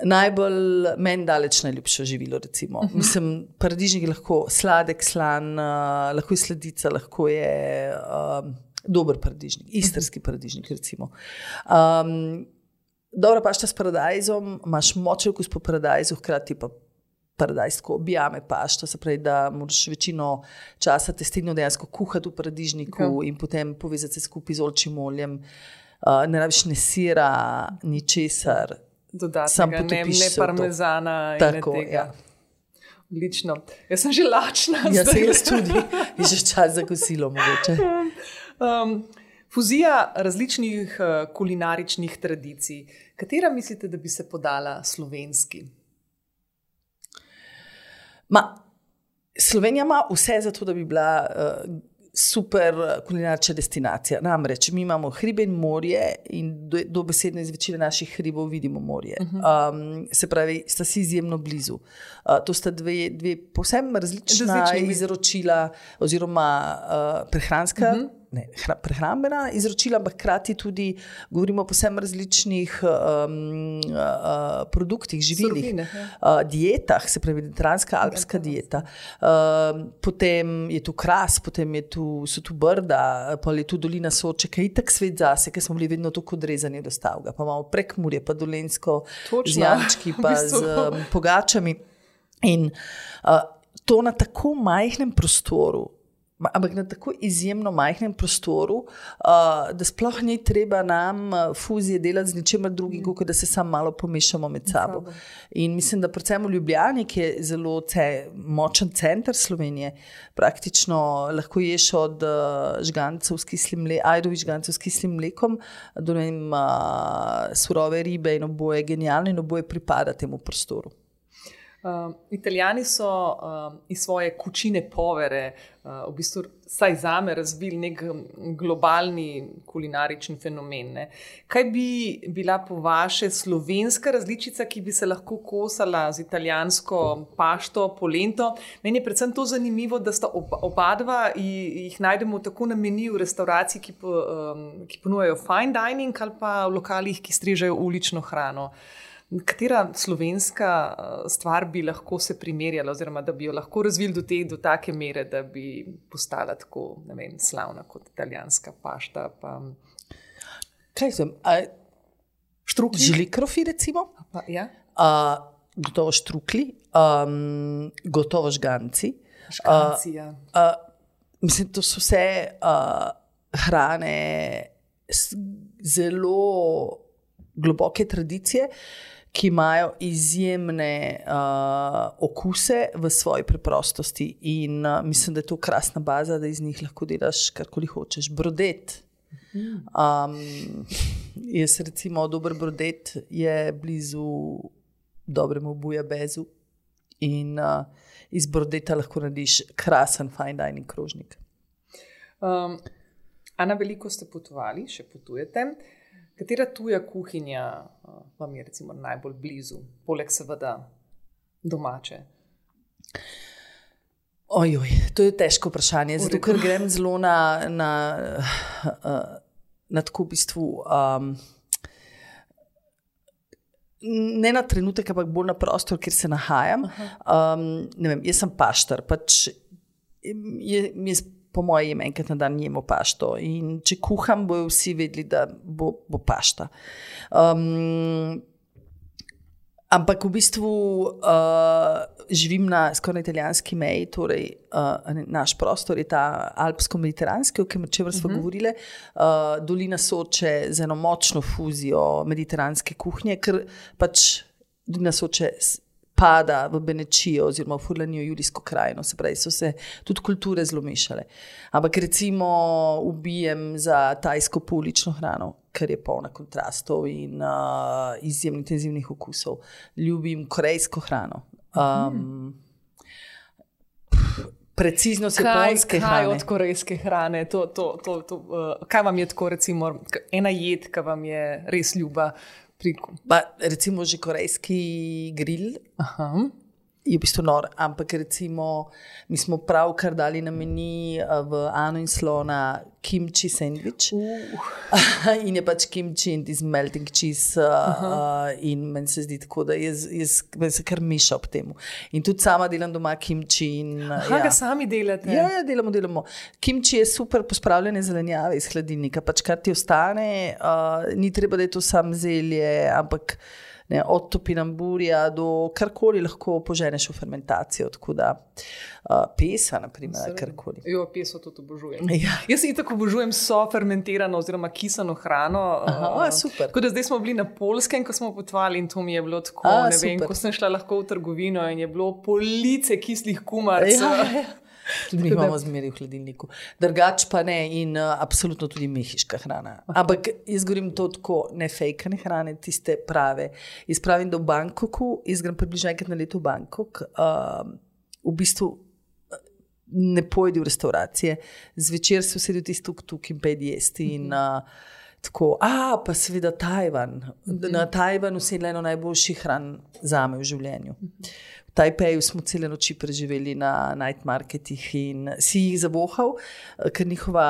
najbolj meni daleč najljubše živilo. Recimo. Uh-huh. Mislim, paradižnik je lahko sladek, slan, uh, lahko je sladica, lahko je uh, dober paradižnik, istrski paradižnik recimo. Um, dobra pašta s paradajzom, imaš močen okus po paradajzu, hkrati pa paradajsko objame pašto, se pravi, da moraš večino časa testenino dejansko kuhati v paradižniku okay. in potem povezati se skupaj z oljčnim oljem. Uh, ne rabiš ne sira, ni česar. Dodatnega, ne, ne parmezana in Tako, ne tega. Ja. Odlično. Jaz sem že lačna. Ja, se jaz tudi. Je že čas za kosilo mogoče. Um, fuzija različnih uh, kulinaričnih tradicij. Katera mislite, da bi se podala slovenski? Ma, Slovenija ima vse za to, da bi bila uh, super kulinarična destinacija. Namreč, mi imamo hribe in morje in do, dobesedno iz večine naših hribov vidimo morje. Uh-huh. Um, se pravi, sta si izjemno blizu. Uh, to sta dve, dve povsem različna Različni. izročila oziroma uh, prehranska uh-huh. Ne, prehrambena izročila, ampak hkrati tudi govorimo o posebno različnih um, uh, produktih, živilih, Surovine, uh, dietah, se pravi mediteranska, alpska dieta. Uh, potem je tu Kras, potem je tu, so tu Brda, pa je tu dolina Soče, ki je itak svet zase, ker smo bili vedno tako odrezani od Stavga. Pa imamo Prekmurje, pa Dolenjsko Točno. z Jančki, pa z um, pogačami. In uh, to na tako majhnem prostoru, ampak na tako izjemno majhnem prostoru, uh, da sploh ni treba nam fuzije delati z ničemer drugim, kot da se samo malo pomešamo med sabo. In mislim, da predvsem v Ljubljani, ki je zelo ce, močen center Slovenije, praktično lahko ješ od uh, žgancev s kislim mlekom, ajdovi žgancev s kislim mlekom, do ne vem, uh, surove ribe in oboje genialno in oboje pripada temu prostoru. Uh, Italijani so uh, iz svoje kučine povere uh, v bistvu saj zame razvili nek globalni kulinarični fenomen. Ne? Kaj bi bila po vaše slovenska različica, ki bi se lahko kosala z italijansko pašto, polento? Meni je predvsem to zanimivo, da sta oba, oba dva jih najdemo tako na meniju v restauraciji, ki, po, um, ki ponujajo fine dining ali pa v lokalih, ki strežejo ulično hrano. Katera slovenska stvar bi lahko se primerjala oziroma da bi jo lahko razvili do te, do take mere, da bi postala tako, ne vem, slavna kot italijanska pašta? Pa... Kaj sem? Štrukli? Žlikrofi recimo? Pa, ja? A, gotovo štrukli, um, gotovo žganci. Žganci, ja. A, a, mislim, to so vse a, hrane zelo globoke tradicije, ki imajo izjemne uh, okuse v svoji preprostosti in uh, mislim, da je to krasna baza, da iz njih lahko delaš karkoli hočeš. Brodet. Um, jaz recimo dober brodet je blizu dobremu bujabezu in uh, iz brodeta lahko narediš krasen fine dining krožnik. Um, Ana, veliko ste potovali, še potujete. Katera tuja kuhinja uh, vam je recimo najbolj blizu, poleg seveda domače? Ojoj, to je težko vprašanje, zato ker grem zelo na, na, uh, na tako v bistvu, um, ne na trenutek, ampak bolj na prostor, kjer se nahajam. Um, ne vem, jaz sem paštar, pač je, jaz po moje jem enkrat na dan jemo pašto in če kuham, bojo vsi vedeli, da bo, bo pašta. Um, ampak v bistvu uh, živim na skoraj italijanski meji, torej uh, naš prostor je ta alpsko-mediteranski, o čemer smo uh-huh. govorile, uh, dolina Soče z eno močno fuzijo mediteranske kuhnje, ker pač dolina Soče pada v Benečijo oziroma v Furlanijo, Julijsko krajino, se pravi, so se tudi kulture zelo mešale. Ampak recimo ubijem za tajsko poulično hrano, ker je polna kontrastov in uh, izjemno intenzivnih okusov. Ljubim korejsko hrano. Um, preciznost japonske hrane. Kaj od korejske hrane? To, to, to, to, uh, kaj vam je tako recimo ena jed, ki vam je res ljuba? Pa, recimo že korejski grill. Aha. Je v bistvu nor, ampak recimo mi smo pravkar dali na meni v Ano in Slona kimči sandvič uh. in je pač kimči in iz melting cheese uh, in meni se zdi tako, da jaz, jaz se kar miša ob temu. In tudi sama delam doma kimči. In, Aha, ja. ga sami delate? Ja, ja, delamo, delamo. Kimči je super pospravljene zelenjave iz hladilnika, pač kar ti ostane, uh, ni treba, da je to sam zelje, ampak ne, od topinamburja do karkoli lahko poženeš v fermentacijo, tako da uh, pesa, naprimer, karkoli. Jo, peso tudi obožujem. Ja. Jaz se itak obožujem so fermentirano oziroma kisano hrano. Aha, uh, super. Tako da zdaj smo bili na Poljskem, ko smo potovali in to mi je bilo tako, A, ne vem, super. ko sem šla lahko v trgovino in je bilo police kislih kumarcev. Ja, ja. Tudi mi imamo zmeri v hladilniku. Drugač pa ne in uh, absolutno tudi mehiška hrana. Ampak jaz govorim to tako, ne fejkane hrane, tiste prave. Jaz pravim, da v Bangkoku, jaz grem približno enkrat na leto v Bangkok, uh, v bistvu ne pojdi v restauracije, zvečer se vsedi v tisti tuk-tuk in pejdi jesti in uh, tako, a pa seveda Tajvan. Na Tajvanu se je eno najboljših hran zame v življenju. V Tajpeju smo cele noči preživeli na night marketih in si jih zavohal, ker njihova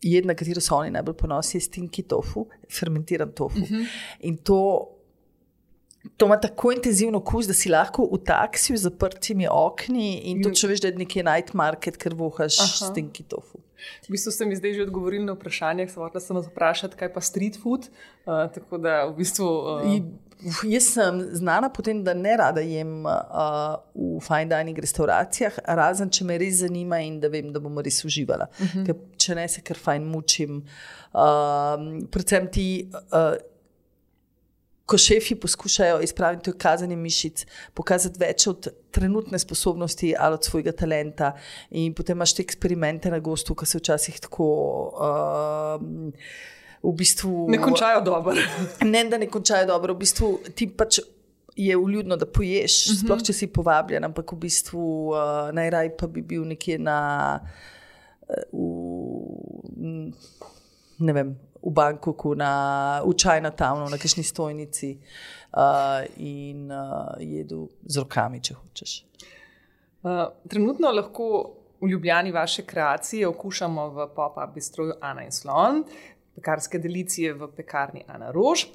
jed, na katero so oni najbolj ponosni, je stinky tofu, fermentiran tofu. Uh-huh. In to, to ima tako intenzivno okus, da si lahko v taksiju z zaprtimi okni in to, če veš, da je nekje night market, ker vohaš Aha. stinky tofu. V bistvu ste mi zdaj že odgovorili na vprašanje, sem hotela samo vprašati, kaj pa street food, uh, tako da v bistvu... Uh... I, jaz sem znana potem, da ne rada jem uh, v fine dining restauracijah, razen če me res zanima in da vem, da bomo res uživala. Uh-huh. Ker če ne se kar fajn mučim. Uh, predvsem ti... Uh, Ko šefi poskušajo izpraviti kazanje mišic, pokazati več od trenutne sposobnosti ali od svojega talenta in potem imaš te eksperimente na gostu, ki se včasih tako uh, v bistvu... Ne končajo dobro. Ne, da ne končajo dobro. V bistvu ti pač je vljudno, da poješ, uh-huh. sploh če si povabljen, ampak v bistvu uh, najraj pa bi bil nekje na... Uh, ne vem, v Bangkoku, na, v Chinatownu, na kakšni stojnici uh, in uh, jedu z rokami, če hočeš. Uh, trenutno lahko v Ljubljani vaše kreacije okušamo v pop-up bistroju Ana in Slon, pekarske delicije v pekarni Ana Rož.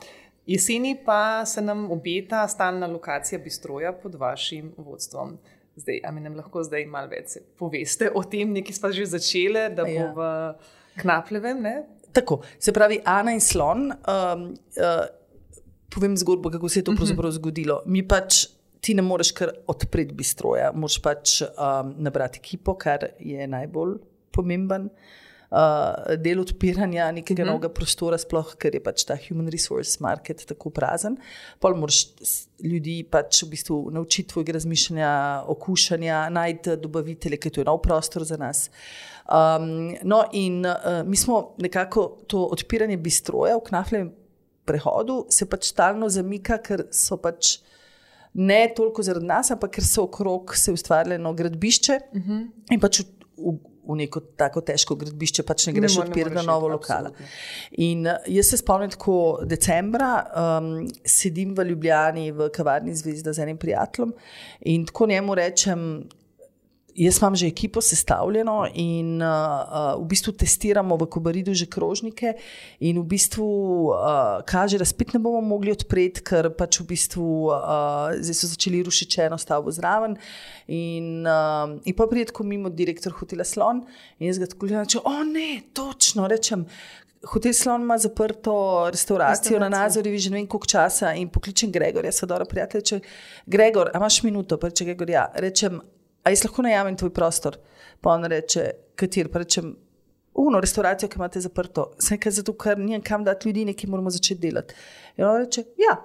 Jeseni pa se nam obeta stalna lokacija bistroja pod vašim vodstvom. Zdaj, a mi nam lahko zdaj malo več poveste o tem, nekaj sva že začele, da bo ja. v Knapljevem, ne? Tako, se pravi, Ana in Slon, um, uh, povem zgodbo, kako se je to pravzaprav zgodilo. Mi pač, ti ne moreš kar odpreti bistroja, moraš pač um, nabrati ekipo, kar je najbolj pomemben. uh, del odpiranja nekega mm-hmm. novega prostora, sploh ker je pač ta human resource market tako prazen. Pol moraš ljudi pač v bistvu naučiti tvojega razmišljanja, okušanja, najti dobavitelje, ker to je nov prostor za nas. Um, no in uh, mi smo nekako to odpiranje bistroja v Knafljevem prehodu se pač stalno zamika, ker so pač ne toliko zaradi nas, ampak ker so okrog se ustvarjeno gradbišče uh-huh. in pač v, v, v neko tako težko gradbišče pač ne greš odpirati na novo lokala. In jaz se spomnim tako decembra, um, sedim v Ljubljani v kavarni Zvezda z enim prijateljem in tako njemu rečem, jaz imam že ekipo sestavljeno in uh, uh, v bistvu testiramo v Kobaridu že krožnike in v bistvu uh, kaže, da spet ne bomo mogli odpreti, ker pač v bistvu uh, zdaj so začeli rušiti eno stavbo zraven in, uh, in pa pride tako mimo direktor hotela Slon in jaz ga tako gledam, če, o ne, točno, rečem, Hotel Slon ima zaprto restauracijo na Nazorjevi že ne vem koliko časa in pokličem Gregorja, so dobro prijatelj, če Gregor, a imaš minuto, pa reče Gregor, ja, rečem, a jaz lahko najamem tvoj prostor? Pa on reče, kater? Pa rečem, uno, restauracijo, ki imate zaprto. Sem nekaj zato, ker nijem kam dati ljudi, nekaj moramo začeti delati. In on reče, ja.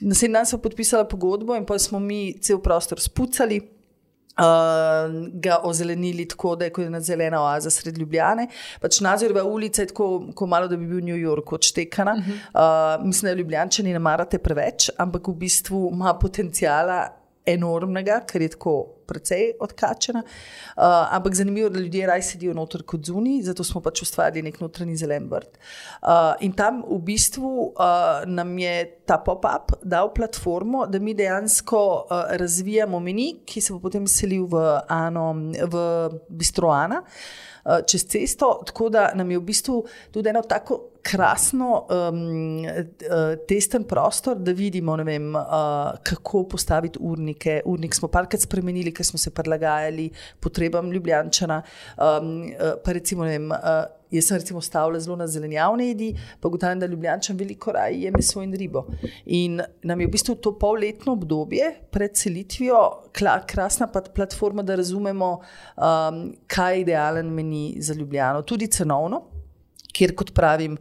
Naslednji dan smo podpisali pogodbo in pa smo mi cel prostor spucali, uh, ga ozelenili tako, da je kot ena zelena oaza sred Ljubljane. Pač Nazorjeva ulica je tako, ko malo, da bi bil New York odštekana. Uh-huh. Uh, mislim, da Ljubljančani ne marate preveč, ampak v bistvu ima potencijala enormnega, ker je tako precej odkačena. Uh, ampak zanimivo, da ljudje raj sedijo noter kot zunaj, zato smo pač ustvarili nek notranji zelen vrt. Uh, in tam v bistvu uh, nam je ta pop-up dal platformo, da mi dejansko uh, razvijamo meni, ki se bo potem selil v, Ano, v Bistro Ana, uh, čez cesto, tako da nam je v bistvu tudi eno tako krasno um, testen prostor, da vidimo, ne vem, uh, kako postaviti urnike. Urnik smo parkrat spremenili, ker smo se prilagajali potrebam Ljubljančana. Um, pa recimo, ne vem, uh, jaz sem recimo stavila zelo na zelenjavne jedi, pa ugotavljam, da Ljubljančan veliko raje je meso in ribo. In nam je v bistvu to polletno obdobje pred selitvijo krasna platforma, da razumemo, um, kaj je idealen meni za Ljubljano. Tudi cenovno, kjer, kot pravim,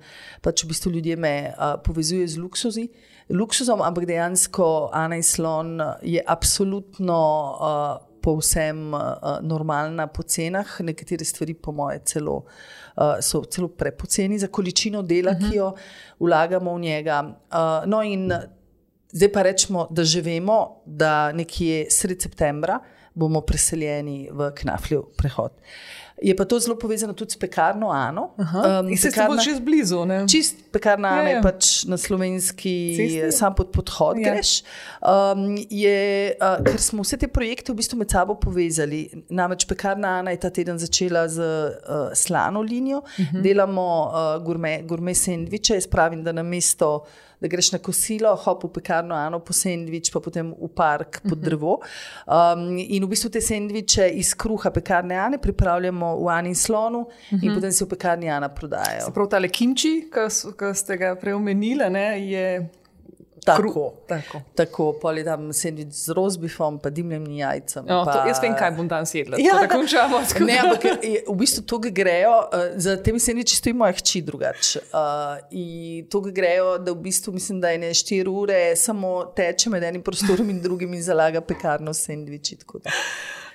pač v bistvu ljudje me uh, povezuje z luksuzi, luksuzom, ampak dejansko Ana in Slon je absolutno uh, povsem uh, normalna po cenah, nekatere stvari po moje celo, uh, so celo prepoceni za količino dela, uh-huh. ki jo vlagamo v njega. Uh, no in zdaj pa rečemo, da že vemo, da nekje sred septembra bomo preseljeni v Knafljev prehod. Je pa to zelo povezano tudi s pekarno Ano. Um, in se pekarna, ste čist blizu, ne? Čist pekarna Ana je, je pač na slovenski, cesti? Sam pod podhod je. Greš. Um, je, uh, ker smo vse te projekte v bistvu med sabo povezali. Namreč pekarna Ana je ta teden začela z uh, slano linijo. Uh-huh. Delamo uh, gurme, gurme sendviče. Jaz pravim, da na mesto da greš na kosilo, hop v pekarno Ano po sendvič, pa potem v park pod drevo. Um, in v bistvu te sendviče iz kruha pekarne Ane pripravljamo v Ani in Slonu in uh-huh. potem se v pekarni Ana prodajajo. Se prav tale kimči, ki ste ga preomenili, ne, je tako. Tako, tako pol je tam sendvič z rozbifom, pa dimljenim jajcem. No, pa... to, jaz vem, kaj bom danes jedla, ja, tako da končamo. Ne, ampak je, v bistvu to, ki grejo, uh, za temi sendviči stoji moja hči drugače. Uh, in to, ki grejo, da v bistvu mislim, da je ne štiri ure, samo teče med enim prostorom in drugim in zalaga pekarno sendviči, tako da.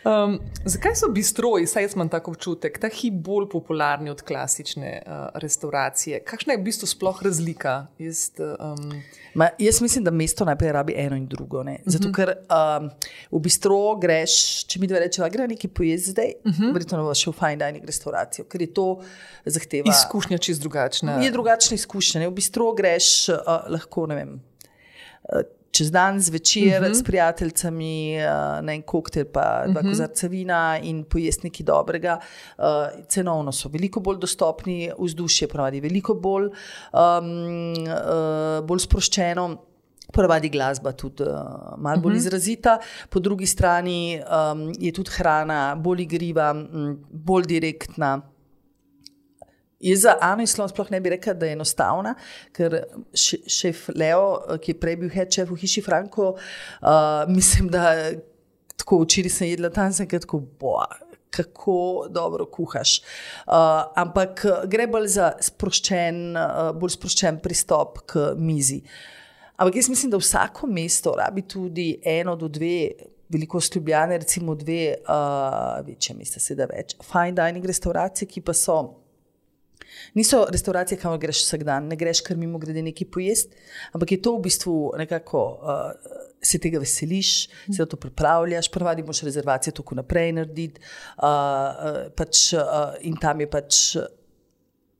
Um, zakaj so bistroji, saj jaz imam tako občutek, ta hip bolj popularni od klasične uh, restauracije? Kakšna je v bistvu sploh razlika? Jaz, um... Ma, jaz mislim, da mesto najprej rabi eno in drugo. Ne? Zato, uh-huh. ker um, v bistro greš, če mi dva rečeva, gre nekaj pojesti zdaj, uh-huh. verjetno bo šel fine dining restauracijo, ker je to zahteva. Izkušnja čist drugačna. Je drugačna izkušnja. Ne? V bistro greš uh, lahko, ne vem, uh, čez dan zvečer uh-huh. s prijateljcami uh, na en koktel pa dva uh-huh. kozarca vina in pojesti nekaj dobrega. Uh, cenovno so veliko bolj dostopni, vzdušje pravi veliko bolj, um, uh, bolj sproščeno. Ponavadi glasba tudi uh, malo bolj uh-huh. izrazita. Po drugi strani um, je tudi hrana bolj igriva, m, bolj direktna. Jaz za Ano in Slon sploh ne bi rekla, da je enostavna, ker šef Leo, ki je prej bil head chef v Hiši Franko, uh, mislim, da tako včeraj sem jedla tam, sem tako, boa, kako dobro kuhaš. Uh, ampak gre bolj za sproščen, uh, bolj sproščen pristop k mizi. Ampak jaz mislim, da vsako mesto rabi tudi eno do dve, veliko Ljubljane, recimo dve, uh, večje mesta, seveda več, fine dining restauracije, ki pa so, niso restauracije, kamor greš vsak dan, ne greš kar mimo grede nekaj pojest, ampak je to v bistvu nekako, uh, se tega veseliš, se to pripravljaš, prvadi moš rezervacije tako naprej narediti, uh, uh, pač, uh, in tam je pač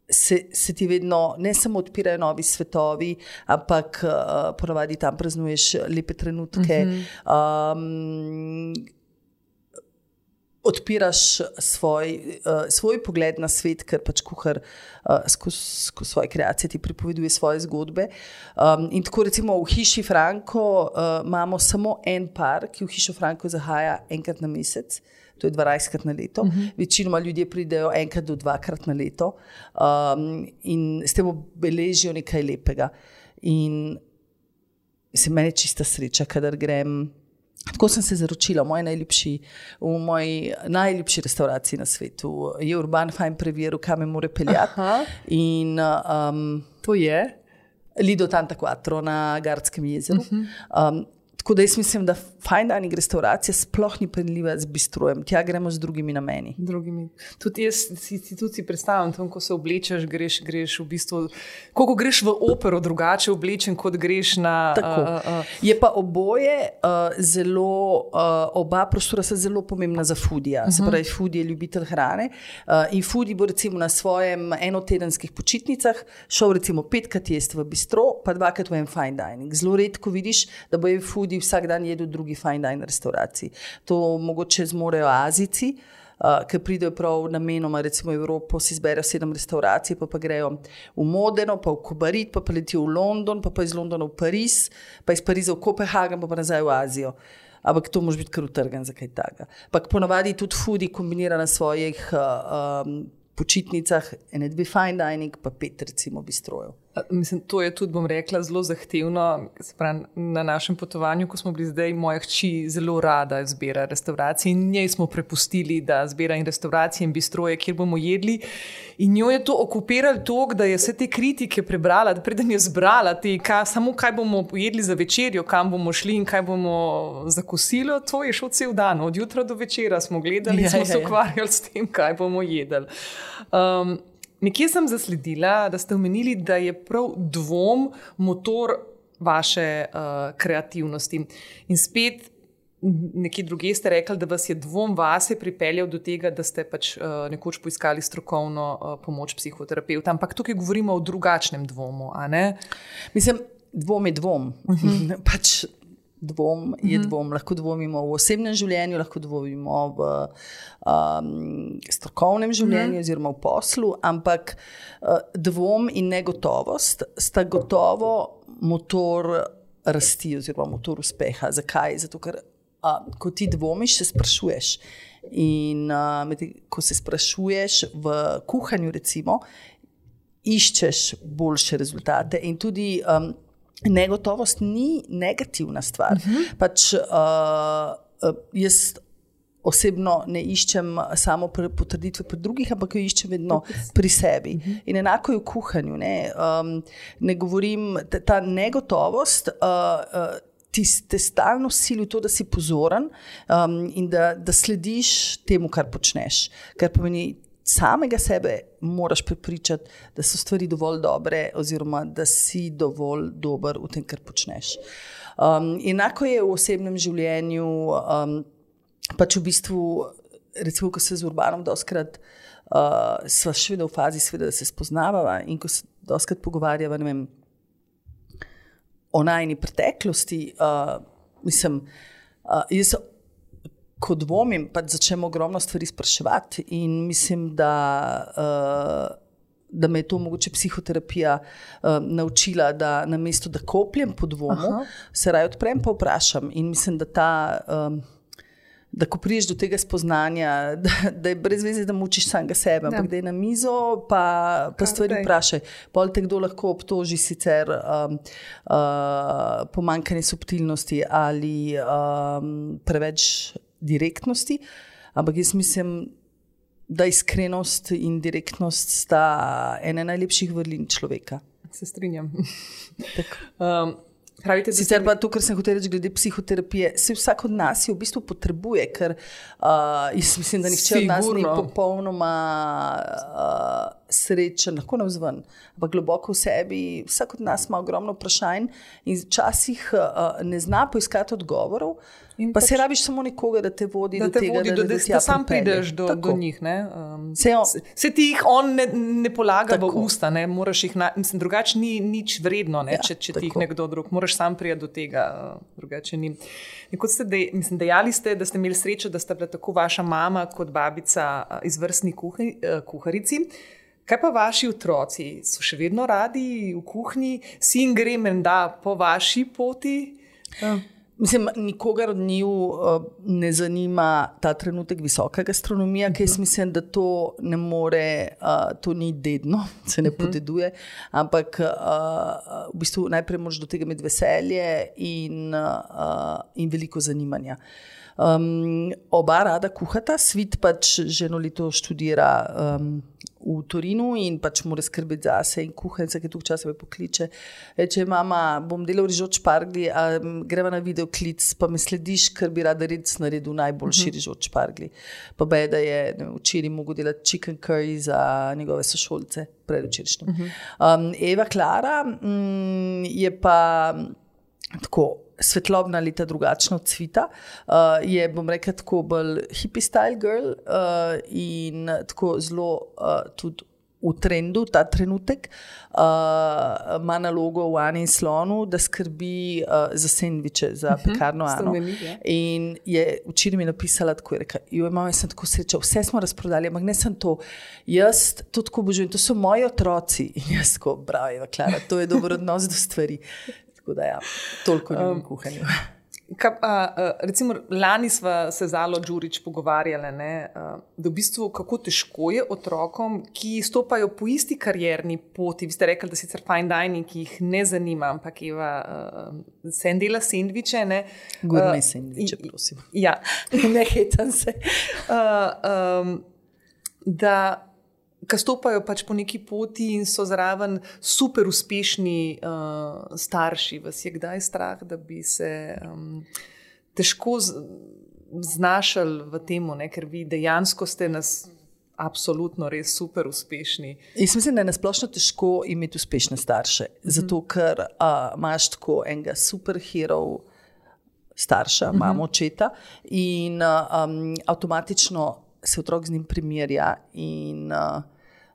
Se, se ti vedno ne samo odpirajo novi svetovi, ampak uh, ponavadi tam praznuješ lepe trenutke, um, odpiraš svoj, uh, svoj pogled na svet, ker pač kuhar uh, skozi skozi svoje kreacije ti pripoveduje svoje zgodbe. Um, in tako recimo v hiši Franko uh, imamo samo en par, ki v hišo Franko zahaja enkrat na mesec. To je dvanajstkrat na leto. Uh-huh. Večinoma ljudje pridejo enkrat do dvakrat na leto um, in s tem obeležijo nekaj lepega. In se meni čista sreča, kadar grem. Tako sem se zaročila v moji najljubši, v moji najljubši restauraciji na svetu. Je Urban Fine preveril, kam me more peljati. Aha. In um, to je? Lido Tanta Quattro na Gardskem jezeru. Uh-huh. Um, Tako da jaz mislim, da fine dining restauracija sploh ni primerljiva z bistrojem. Tja gremo z drugimi nameni. Drugimi. Tudi jaz si, si, tudi si predstavljam, tam, ko se oblečeš, greš, greš v bistvu, koliko greš v opero drugače oblečen, kot greš na... Tako. Uh, uh. Je pa oboje uh, zelo, uh, oba prostora so zelo pomembna za foodija. Uh-huh. Se pravi, foodie je ljubitelj hrane uh, in foodie bo recimo na svojem enotedenskih počitnicah šel recimo petkrat jesti v bistro, pa dvakrat v en fine dining. Zelo redko vidiš, da bo je foodie vsak dan jedu v drugi fine dining restauraciji. To mogoče zmorejo Azijci, uh, ki pridejo prav namenoma, recimo v Evropo, si izberejo sedem restauracij, pa pa grejo v Modeno, pa v Kobarit, pa pa letijo v London, pa pa iz Londona v Pariz, pa iz Pariza v Kopenhagen, pa pa nazaj v Azijo. Ampak to mož biti kar utrgan za kaj takega. Ampak ponavadi tudi foodie kombinira na svojih uh, um, počitnicah, ene dve fine dining, pa pet recimo bistrojev. Mislim, to je tudi, bom rekla, zelo zahtevno. Spravi, na našem potovanju, ko smo bili zdaj, moja hči zelo rada zbira restauracije in njej smo prepustili, da zbira in restauracije in bistroje, kjer bomo jedli. In njo je to okupiralo toliko, da je vse te kritike prebrala, da preden je zbrala te, kaj, samo kaj bomo jedli za večerjo, kam bomo šli in kaj bomo za kosilo, to je šel cel dan. Od jutra do večera smo gledali in ja, smo ja, se ukvarjali ja. s tem, kaj bomo jedli. Um, Nekje sem zasledila, da ste omenili, da je prav dvom motor vaše uh, kreativnosti. In spet nekje druge ste rekli, da vas je dvom vase pripeljal do tega, da ste pač uh, nekoč poiskali strokovno uh, pomoč psihoterapeuta. Ampak tukaj govorimo o drugačnem dvomu, a ne? Mislim, dvom je dvom. Uh-huh. pač dvom je uh-huh. dvom. Lahko dvomimo v osebnem življenju, lahko dvomimo v um, strokovnem življenju uh-huh. oziroma v poslu, ampak uh, dvom in negotovost sta gotovo motor rasti oziroma motor uspeha. Zakaj? Zato, ker uh, ko ti dvomiš, se sprašuješ. In uh, med, ko se sprašuješ v kuhanju, recimo, iščeš boljše rezultate in tudi um, negotovost ni negativna stvar. Uh-huh. Pač uh, jaz osebno ne iščem samo potrditve pri drugih, ampak jo iščem vedno pri sebi. Uh-huh. In enako je v kuhanju. Ne, um, ne govorim, ta, ta negotovost uh, uh, ti te stalno sili v to, da si pozoren um, in da, da slediš temu, kar počneš. Kar pomeni, samega sebe moraš prepričati, da so stvari dovolj dobre oziroma da si dovolj dober v tem, kar počneš. Um, enako je v osebnem življenju, um, pač v bistvu, recimo, ko se z Urbanom doskrat uh, sva še vedno v fazi, sveda, da se spoznavava in ko se doskrat pogovarjava, ne vem, o najni preteklosti, uh, mislim, uh, jaz ko dvomim, pa začnem ogromno stvari spraševati in mislim, da, uh, da me je to mogoče psihoterapija uh, naučila, da namesto da kopljem po dvomu, Aha. se raje odprem pa vprašam in mislim, da ta, um, da ko priješ do tega spoznanja, da, da je brez veze, da mučiš samega sebe, ja. ampak da je na mizo, pa, pa stvari vprašaj. Pol te kdo lahko obtoži sicer um, uh, pomanjkanje subtilnosti ali um, preveč direktnosti, ampak jaz mislim, da iskrenost in direktnost sta ene najlepših vrlin človeka. Se strinjam. um, Pravite, sicer pa to, kar sem hotel reči glede psihoterapije, se vsak od nas jo v bistvu potrebuje, ker uh, jaz mislim, da nihče od nas ni popolnoma uh, srečen, lahko navzven, ampak globoko v sebi, vsak od nas ima ogromno vprašanj in včasih uh, ne zna poiskati odgovorov, in pa pač, se rabiš samo nekoga, da te vodi da do te tega, vodi da, do, da, da, da, da sam prideš do, do njih. Ne? Um, se, on, se ti jih on ne, ne polaga tako v usta, ne? Moraš jih, na, mislim, drugače ni nič vredno, ne? Ja, če, če ti jih nekdo drug, moraš sam prijeti do tega, drugače ni. Kot ste dej, mislim, dejali ste, da ste imeli srečo, da sta bila tako vaša mama kot babica izvrstni kuhi, kuharici. Kaj pa vaši otroci? So še vedno radi v kuhinji? Sin gre menda po vaši poti? Ja. Mislim, nikogar od njiju uh, ne zanima ta trenutek visoka gastronomija, uh-huh. ker jaz mislim, da to ne more, uh, to ni dedno, se ne uh-huh. podeduje, ampak uh, v bistvu najprej moraš do tega imeti veselje in, uh, in veliko zanimanja. Um, oba rada kuhata, Svit pač že eno leto študira um, v Torinu in pač mora skrbeti zase in kuha in vsake toliko časa me pokliče. Reče, mama, bom delal rižoč špargli, a greva na videoklic, pa me slediš, ker bi rada red naredil najboljši uh-huh. rižoč špargli. Pa bej, da je ne, včeraj mogel delati chicken curry za njegove sošolce, predvčerajšnjem. Uh-huh. Um, Eva Klara mm, je pa tako svetlobna leta drugačna od Cvita. Uh, je, bom rekla, tako bolj hippie style girl uh, in tako zelo uh, tudi v trendu ta trenutek. Uh, ima nalogo v Ani in Slonu, da skrbi uh, za sendviče, za uh-huh. pekarno Ano. In je včeraj mi napisala, tako je rekla, joj, mama, jaz sem tako sreča, vse smo razprodali, ampak ne sem to. Jaz to tako obožujem, to so moji otroci. In jaz tako, bravo, Eva Klara, to je dober odnos do stvari. Da, ja, toliko ljubim um, kuhanju. Ka, a, a, recimo, lani sva se z Alo Đurić pogovarjali, ne, a, da v bistvu kako težko je otrokom, ki stopajo po isti karierni poti. Vi ste rekli, da sicer fine dining, ki jih ne zanima, ampak Eva se en dela sendviče. Gurme sendviče, prosim. Ja. Ne hetam se. A, um, da ki stopajo pač po neki poti in so zraven super uspešni uh, starši. Vas je kdaj strah, da bi se um, težko z, znašali v temu, ne? Ker vi dejansko ste nas absolutno res super uspešni. Jaz mislim, da je nasplošno težko imeti uspešne starše, mm-hmm. zato ker uh, imaš tako enega superherov starša, mm-hmm. mamo, očeta in uh, um, avtomatično se otrok z njim primerja in uh,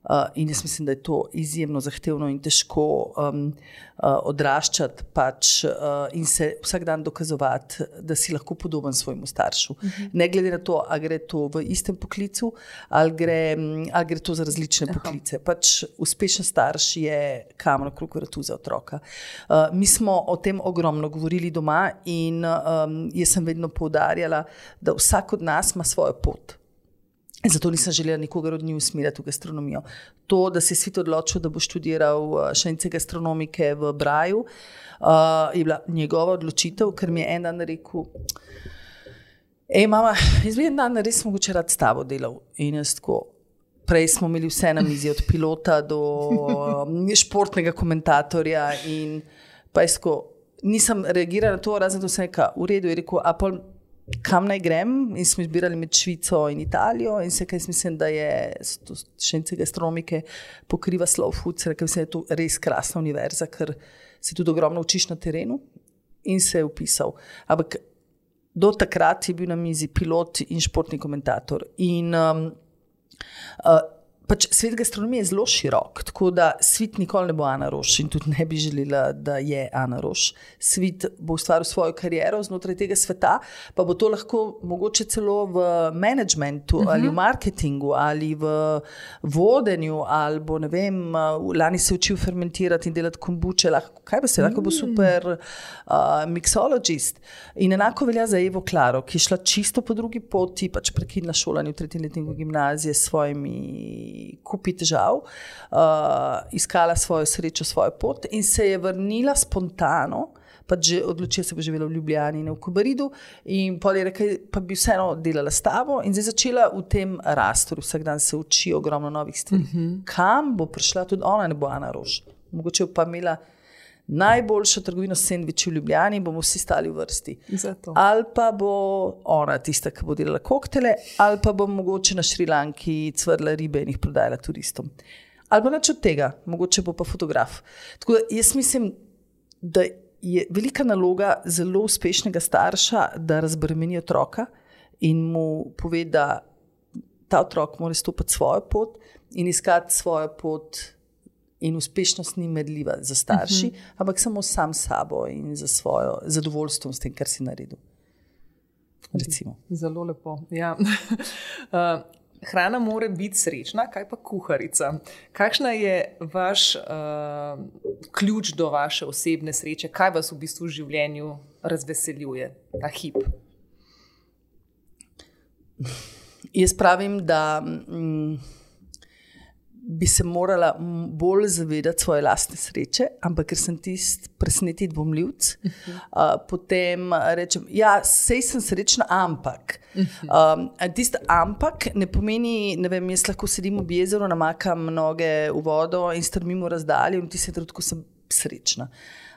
Uh, in jaz mislim, da je to izjemno zahtevno in težko um, uh, odraščati pač, uh, in se vsak dan dokazovati, da si lahko podoben svojemu staršu. Uh-huh. Ne glede na to, ali gre to v istem poklicu, ali gre, ali gre to za različne uh-huh. poklice. Pač uspešen starš je kamen okrog vratu za otroka. Uh, mi smo o tem ogromno govorili doma in um, jaz sem vedno poudarjala, da vsak od nas ima svojo pot. Zato nisem želela nikogar od njih usmerjati v gastronomijo. To, da se je Svit odločil, da bo študiral šanice gastronomike v Braju, uh, je bila njegova odločitev, ker mi je en dan rekel, ej mama, jaz bi en dan res mogoče rad s tabo delal. In jaz tako, prej smo imeli vse na mizi, od pilota do športnega komentatorja in pa jaz tako, nisem reagirala na to, razen to sem rekla, v redu, je rekel, a pol kam naj grem, in smo izbirali med Švico in Italijo in se kaj mislim, da je šanice gastronomike pokriva Slow Foods, rekel mislim, da je to res krasna univerza, ker se tudi ogromno učiš na terenu in se je upisal. Ampak do takrat je bil na mizi pilot in športni komentator in um, uh, pač svet gastronomije je zelo širok, tako da Svit nikoli ne bo Ana Roš in tudi ne bi želela, da je Ana Roš. Svit bo ustvaril svojo kariero znotraj tega sveta, pa bo to lahko mogoče celo v managementu uh-huh. ali v marketingu ali v vodenju ali bo, ne vem, lani se učil fermentirati in delati kombuče, lahko, kaj pa se, lahko bo super uh, mixologist. In enako velja za Evo Klaro, ki je šla čisto po drugi poti, pač prekinila šolanje v tretjem letniku gimnazije s svojimi kupi težav, uh, iskala svojo srečo, svojo pot in se je vrnila spontano pa že odločila se bo živela v Ljubljani in v Kobaridu in pol je rekla, pa bi vseeno delala s tabo in zdaj začela v tem rastu, vsak dan se uči ogromno novih stvari. Uh-huh. Kam bo prišla tudi ona, ne bo Ana Roš. Mogoče pa imela najboljšo trgovino sendviči v Ljubljani, bomo vsi stali v vrsti. Zato. Ali pa bo ona tista, ki bo delala koktele, ali pa bo mogoče na Šrilanki cvrla ribe in jih prodajala turistom. Ali pa nič od tega, mogoče bo pa fotograf. Tako da jaz mislim, da je velika naloga zelo uspešnega starša, da razbremeni otroka in mu pove, da ta otrok mora stopiti svojo pot in iskati svojo pot in uspešnost ni merljiva za starši, uh-huh. ampak samo sam sabo in za svojo zadovoljstvo s tem, kar si naredil. Recimo. Zelo lepo, ja. uh, hrana mora biti srečna, kaj pa kuharica? Kakšna je vaš uh, ključ do vaše osebne sreče? Kaj vas v bistvu v življenju razveseljuje, ta hip? Jaz pravim, da mm, bi se morala bolj zavedati svoje lastne sreče, ampak ker sem tist presneti dvomljivc, uh-huh. uh, potem rečem, ja, sej sem srečna, ampak. Uh-huh. Um, tist ampak ne pomeni, ne vem, jaz lahko sedim ob jezeru, namakam noge v vodo in strmim v razdaljo in v tistem trenutku sem srečna.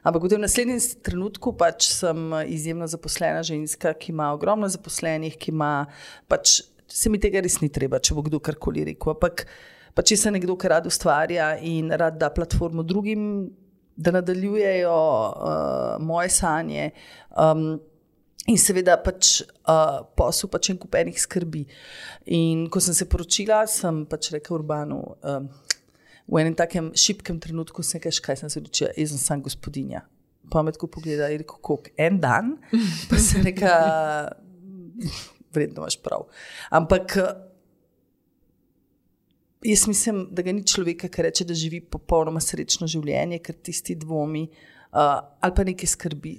Ampak v tem naslednjem trenutku pač sem izjemno zaposlena ženska, ki ima ogromno zaposlenih, ki ima, pač se mi tega res ni treba, če bo kdo karkoli rekel, ampak pa če se nekdo, ki rad ustvarja in rad da platformo drugim, da nadaljujejo uh, moje sanje um, in seveda pač uh, posel pač en kup enih skrbi. In ko sem se poročila, sem pač rekel Urbanu, um, v enem takem šibkem trenutku sem rekel, kaj sem se odločila, jaz sem sam gospodinja. Pa me tako pogleda in rekel, koliko, en dan? Pa sem rekel, vredno imaš prav. Ampak jaz mislim, da ga ni človeka, ki reče, da živi popolnoma srečno življenje, ker tisti dvomi uh, ali pa neke skrbi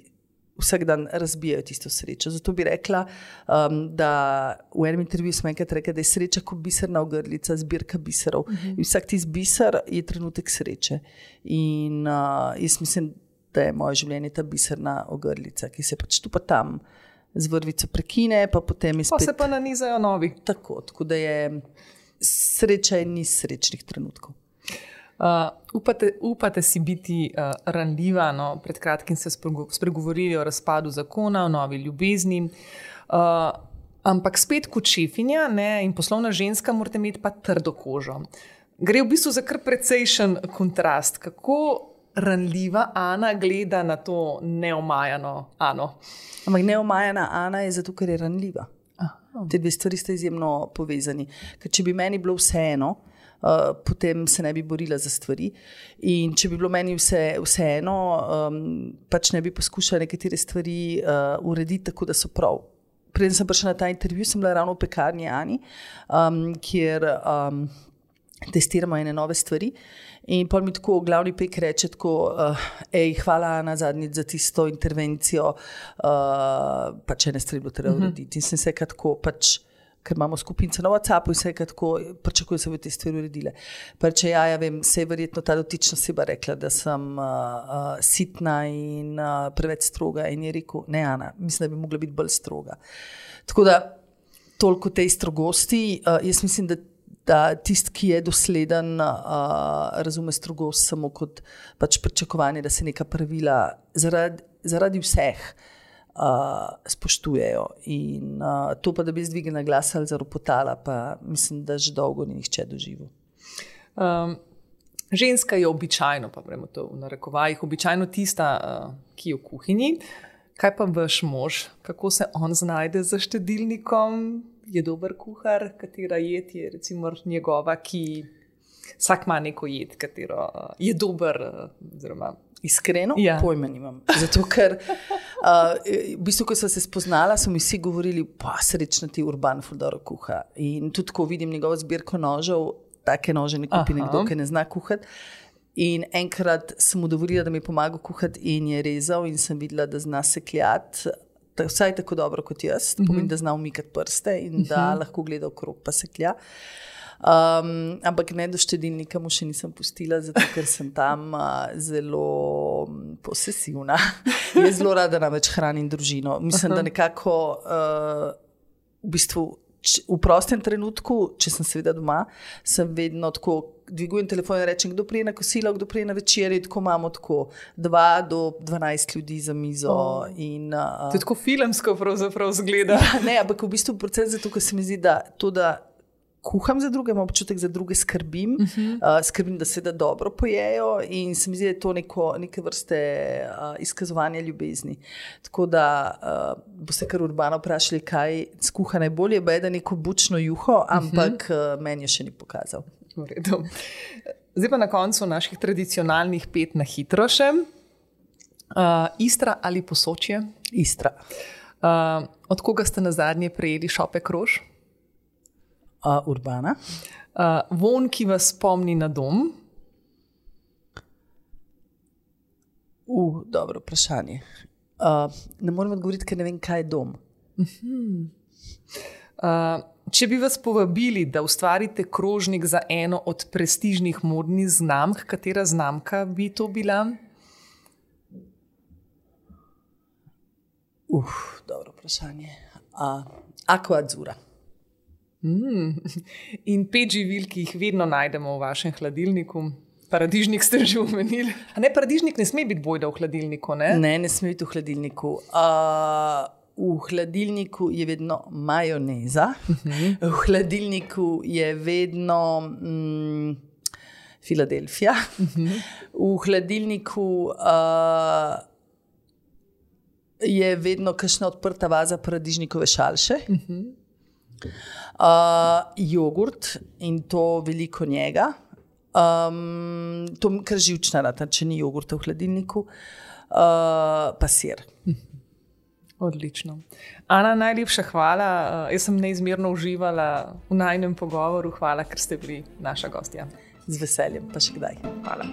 vsak dan razbijajo tisto srečo. Zato bi rekla, um, da v enem intervjuju smo enkrat rekli, da je sreča kot biserna ogrlica, zbirka biserov. Uh-huh. In vsak tisti biser je trenutek sreče. In uh, jaz mislim, da je moje življenje ta biserna ogrlica, ki se pač tu pa tam z vrvico prekine, pa potem je spet... Pa se pa nanizajo novi. Tako, tako da je... Sreča je ni srečnih trenutkov. Uh, upate, upate si biti uh, ranljiva, no? Pred kratkim ste spregovorili o razpadu zakona, o novi ljubezni, uh, ampak spet kot šefinja, ne, in poslovna ženska morate imeti pa trdo kožo. Gre v bistvu za kar precejšen kontrast. Kako ranljiva Ana gleda na to neomajano Ano? Ampak neomajana Ana je zato, ker je ranljiva. Te dve stvari sta izjemno povezani. Ker če bi meni bilo vseeno, uh, potem se ne bi borila za stvari. In če bi bilo meni vse, vseeno, um, pač ne bi poskušala nekatere stvari uh, urediti tako, da so prav. Preden sem prišla na ta intervju, sem bila ravno v pekarni Ani, um, kjer um, testiramo ene nove stvari. In pol mi tako glavni pek reče tako, uh, ej, hvala Ana zadnjič za tisto intervencijo, uh, pač ene stvari bilo treba urediti. In sem se tako, pač, ker imamo skupince na WhatsAppu in se tako, pričakujem, da se bo te stvari uredile. Pa reče, ja, ja vem, se je verjetno ta dotična oseba rekla, da sem uh, uh, sitna in uh, preveč stroga. In je rekel, ne Ana, mislim, da bi mogla biti bolj stroga. Tako da, toliko tej strogosti, uh, jaz mislim, da da tisti, ki je dosleden, uh, razume strogost samo kot pač pričakovanje, da se neka pravila zaradi, zaradi vseh uh, spoštujejo. In uh, to pa, da bi zdvignila glas ali zaropotala, pa mislim, da že dolgo ni nihče doživel. Um, ženska je običajno, pa bremo to v narekovajih, običajno tista, uh, ki je v kuhinji. Kaj pa vaš mož? Kako se on znajde za štedilnikom? Je dober kuhar, katera jed je recimo njegova, ki vsak ima neko jed, katero uh, je dober. Uh, Iskreno, ja. Pojma nimam. Zato, ker uh, v bistvu, ko so se spoznala, so mi vsi govorili, pa srečna ti Urban ful dobro kuha. In tudi, ko vidim njegovo zbirko nožev, take nože ne kupi Aha. nekdo, ki ne zna kuhati. In enkrat sem mu dovolila, da mi pomaga kuhati in je rezal in sem videla, da zna sekljati. Vsaj tako dobro kot jaz, to pomeni, da zna umikati prste in da uh-huh. lahko gleda okrog pa seklja. Um, ampak ne do štedilnika mu še nisem pustila, zato ker sem tam uh, zelo posesivna. Jaz zelo rada namreč hranim družino. Mislim, da nekako uh, v bistvu č, v prostem trenutku, če sem seveda doma, sem vedno tako dvigujem telefon in rečem, kdo prije na kosilo, kdo prije na večer, in tako imamo tako dva do dvanajst ljudi za mizo. Oh. In, uh, to je tako filmsko pravzaprav zgleda. Ne, ampak v bistvu proces zato, ker se mi zdi, da to, da kuham za druge, imam občutek za druge skrbim, uh-huh. uh, skrbim, da se da dobro pojejo in se mi zdi, da je to neko, neke vrste uh, izkazovanje ljubezni. Tako da uh, bo se kar Urbano vprašali, kaj skuha najbolje, bo je da neko bučno juho, ampak uh-huh. uh, meni je še ni pokazal. V redu. Zdaj pa na koncu naših tradicionalnih pet na hitro še. Uh, Istra ali Posočje? Istra. Uh, od koga ste na zadnje prejeli šopek rož? Uh, Urbana. Uh, von, ki vas spomni na dom? Uh, dobro vprašanje. Uh, ne morem odgovoriti, ker ne vem, kaj je dom. Uh-huh. Uh, če bi vas povabili, da ustvarite krožnik za eno od prestižnih modnih znamk, katera znamka bi to bila? Uf, dobro vprašanje. Uh, Aqua Azzurra. Mm. In pet živil, ki jih vedno najdemo v vašem hladilniku. Paradižnik ste že omenili. A ne, paradižnik ne sme biti bojda v hladilniku, ne? Ne, ne sme biti v hladilniku. Uh, V hladilniku je vedno majoneza, uh-huh. v hladilniku je vedno mm, Filadelfija, uh-huh. v hladilniku uh, je vedno kakšna odprta vaza paradižnikove šalše, uh-huh. uh, jogurt in to veliko njega. Um, to je kar živčna rata, če ni jogurta v hladilniku, uh, pa sir. Uh-huh. Odlično. Ana, najlepša hvala. Jaz sem neizmerno uživala v najinem pogovoru. Hvala, ker ste bili naša gostja. Z veseljem, pa še kdaj. Hvala.